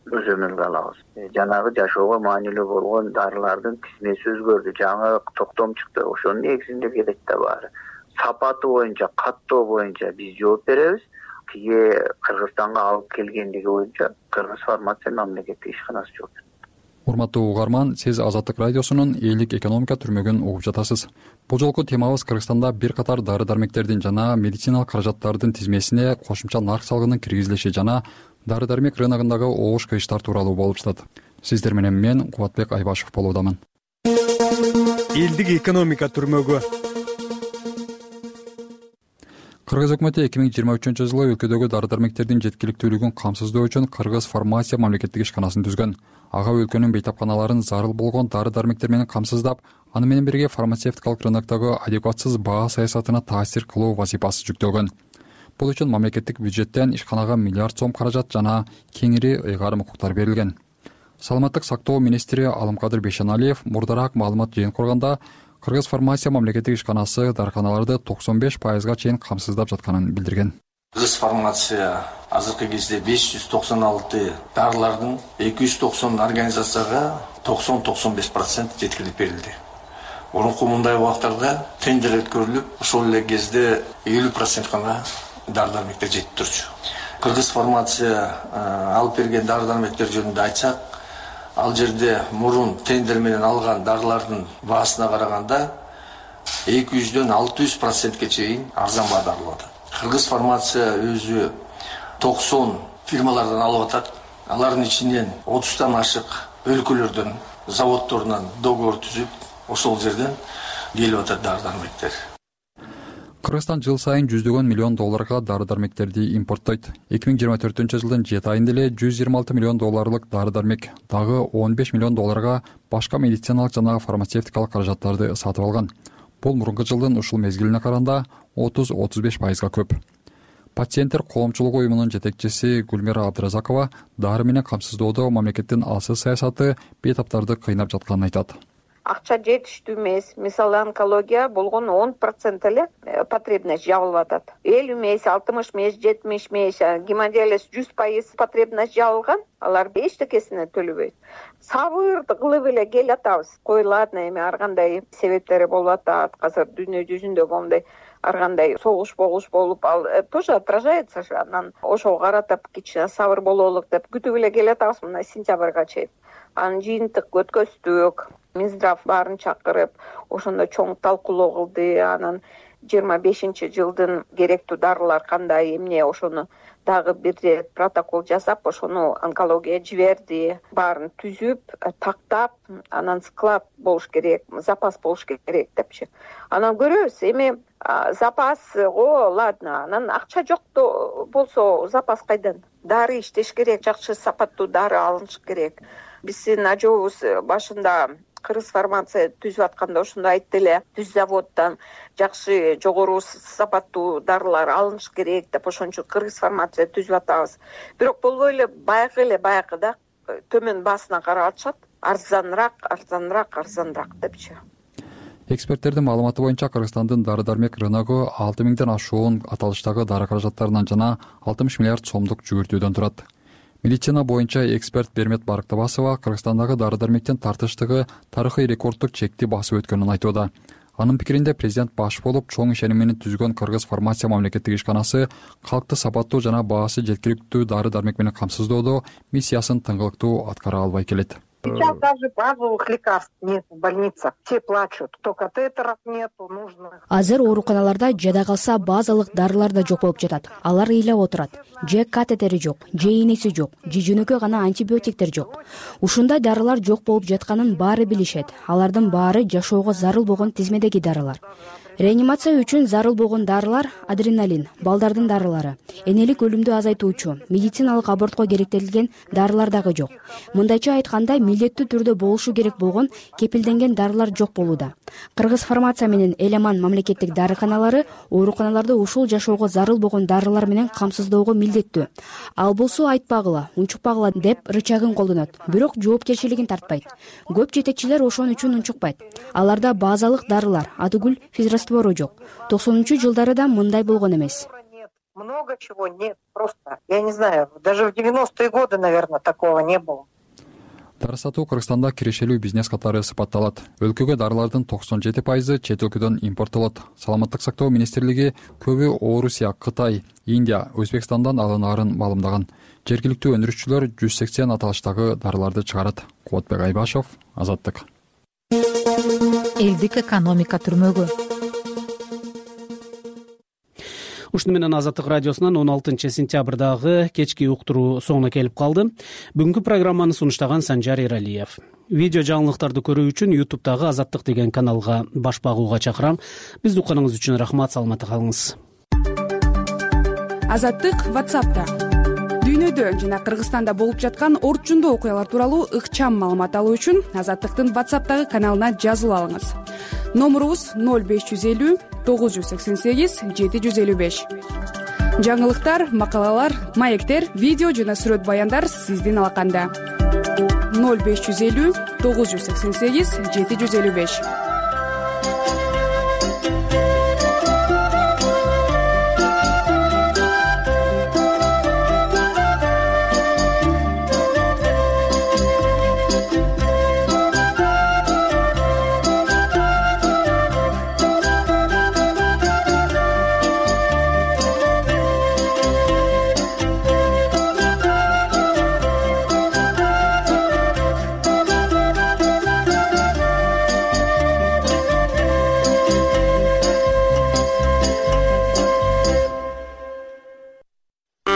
көзөмөлгө алабыз. Жанагы жашоого маанилүү болгон дарылардын тизмеси өзгөрдү, жаңы токтом чыкты. Ошонун негизинде келет да баары. Сапаты боюнча, каттоо боюнча биз жооп беребиз. Кыргызстанга алып келгендиги боюнча Кыргыз фармация мамлекеттик ишканасы жооп берет. Урматтуу угарман, сиз Азаттык радиосунун элдик экономика түрмөгүн угуп жатасыз. Бул жолку темабыз Кыргызстанда бир катар дары-дармектердин жана медициналык каражаттардын тизмесине кошумча нарк салыгынын киргизилиши жана дары-дармек рыногундагы обуш кыйыштар тууралуу болуп жатат. Сиздер менен мен Кубатбек Айбашев болуудамын. Элдик экономика түрмөгү. Кыргыз өкмөтү 2023-жылы өлкөдөгү дары-дармектердин жеткиликтүүлүгүн камсыздоо үчүн Кыргыз фармация мамлекеттик ишканасын түзгөн. Ага өлкөнүн бейтапканаларын зарыл болгон дары-дармектер менен камсыздап, аны менен бирге фармацевтикалык рыноктогу адекватсыз баа саясатына таасир кылуу вазифасы жүктөлгөн. Бул үчүн мамлекеттик бюджеттен ишканага $1 миллиард каражат жана кеңири ыйгарым укуктар берилген. Саламаттык сактоо министри Алымкадыр Бейшеналиев мурдараак маалымат жыйын курганда Кыргыз фармация мамлекеттик ишканасы дарыканаларды 95%га чейин камсыздап жатканын билдирген. Кыргыз фармация азыркы кезде 596 дарылардын 290 организацияга 90-95% жеткирип берилди. Мурунку мындай убактарда тендер өткөрүлүп, ошол эле кезде 50% гана дары-дармектер жетип турчу. Кыргыз фармация алып берген дары-дармектер жөнүндө айтсак, ал жерде мурун тендер менен алган дарылардын баасына караганда 200дөн 600%ке чейин арзан баада алып атат. Кыргыз фармация өзү 90 фирмалардан алып атат. Алардын ичинен 30тан ашык өлкөлөрдөн, заводдорунан договор түзүп, ошол жерден келип атат дары-дармектер. Кыргызстан жыл сайын $100 миллион дары-дармектерди импорттойт. 2024-жылдын 7 айында эле $126 миллион дары-дармек, дагы $15 миллион башка медициналык жана фармацевтикалык каражаттарды сатып алган. Бул мурунку жылдын ушул мезгилине караганда 30-35% көп. Пациенттер коомчулугу уюмунун жетекчиси Гүлмира Абдыразакова дары менен камсыздоодо мамлекеттин алсыз саясаты бейтаптарды кыйнап жатканын айтат. Акча жетиштүү эмес. Мисалы онкология болгон 10% эле потребность жабылып атат. 50 эмес, 60 эмес, 70 эмес, гемодиализ 100% потребность жабылган. Алар эчтекесине төлөбөйт. Сабырды кылып эле келатабыз. Коюлат эми ар кандай себептери болуп атат. Азыр дүйнө жүзүндө моундай ар кандай согуш болуп, ал тоже отражается. Анан ошого каратып кичине сабыр бололук деп күтүп эле келатабыз мына сентябрга чейин. Анын жыйынтык өткөздүк. Минздрав баарын чакырып, ошондо чоң талкуулоо кылды. Анан 25-жылдын керектүү дарылар кандай, эмне ошону дагы бир рет протокол жасап, ошону онкология жиберди. Баарын түзүп, тактап, анан склад болуш керек, запас болуш керек депчи. Анан көрөбүз, эми запас, ладно, анан акча жок болсо запас кайдан? Дары иштеш керек, жакшы сапаттуу дары алыныш керек. Биздин ажообуз башында Кыргыз фармация түзүп атканда ошондо айтты эле, түз заводдон жакшы жогору сапаттуу дарылар алыныш керек деп, ошон үчүн Кыргыз фармация түзүп атабыз. Бирок болбой эле баягыда төмөн баасына карап атышат. Арзаныраак депчи. Эксперттердин маалыматы боюнча Кыргызстандын дары-дармек рыногу 6000ден ашуун аталыштагы дары каражаттарынан жана 60 миллиард сомдук жүгүртүүдөн турат. Медицина боюнча эксперт Бермет Барктабасова Кыргызстандагы дары-дармектин тартыштыгы тарыхый рекорддук чекти басып өткөнүн айтууда. Анын пикиринде президент баш болуп чоң ишеним менен түзгөн Кыргыз фармация мамлекеттик ишканасы калкты сапаттуу жана баасы жеткиликтүү дары-дармек менен камсыздоодо миссиясын тыңгылыктуу аткара албай келет. Сейчас даже базовых лекарств нет в больницах. Все плачут. То катетеров нету, нужно. Азыр ооруканаларда жада калса базалык дарылар да жок болуп жатат. Алар ыйлап отурат. Же катетери жок, же ийнеси жок, же жөнөкөй гана антибиотиктер жок. Ушундай дарылар жок болуп жатканын баары билишет. Алардын баары жашоого зарыл болгон тизмедеги дарылар. Реанимация үчүн зарыл болгон дарылар адреналин, балдардын дарылары, энелик өлүмдү азайтуучу, медициналык абортко керектелген дарылар дагы жок. Мындайча айтканда, милдеттүү түрдө болушу керек болгон кепилденген дарылар жок болууда. Кыргыз фармация менен Эламан мамлекеттик дарыканалары ооруканаларды ушул жашоого зарыл болгон дарылар менен камсыздоого милдеттүү. Ал болсо айтпагыла, унчукпагыла деп рычагын колдонот, бирок жоопкерчилигин тартпайт. Көп жетекчилер ошон үчүн унчукпайт. Аларда базалык дарылар, адыгүл, физраствору жок. 90-жылдары да мындай болгон эмес. Много чего нет, просто. Я не знаю, даже в 90-е годы, наверное, такого не было. Дары сатуу Кыргызстанда кирешелүү бизнес катары сыпатталат. Өлкөгө дарылардын 97% чет өлкөдөн импорттолот. Саламаттык сактоо министрлиги көбү Орусия, Кытай, Индия, Өзбекстандан алынаарын маалымдаган. Жергиликтүү өндүрүшчүлөр 180 аталыштагы дарыларды чыгарат. Кубатбек Айбашов, Азаттык. Элдик экономика түрмөгү. Ушуну менен Азаттык радиосунан 16 сентябрдагы кечки уктуруу соңуна келип калды. Бүгүнкү программаны сунуштаган Санжар Эралиев. Видео жаңылыктарды көрүү үчүн YouTube'дагы Азаттык деген каналга баш багууга чакырам. Бизди укканыңыз үчүн рахмат, саламатта калыңыз. Азаттык WhatsApp'та. Дүйнөдө жана Кыргызстанда болуп жаткан орчундуу окуялар тууралуу ыкчам маалымат алуу үчүн Азаттыктын WhatsApp'тагы каналына жазылып алыңыз. Номурубуз 0550 988 755. Жаңылыктар, макалалар, маектер, видео жана сүрөт баяндар сиздин алаканда. 0550 988 755.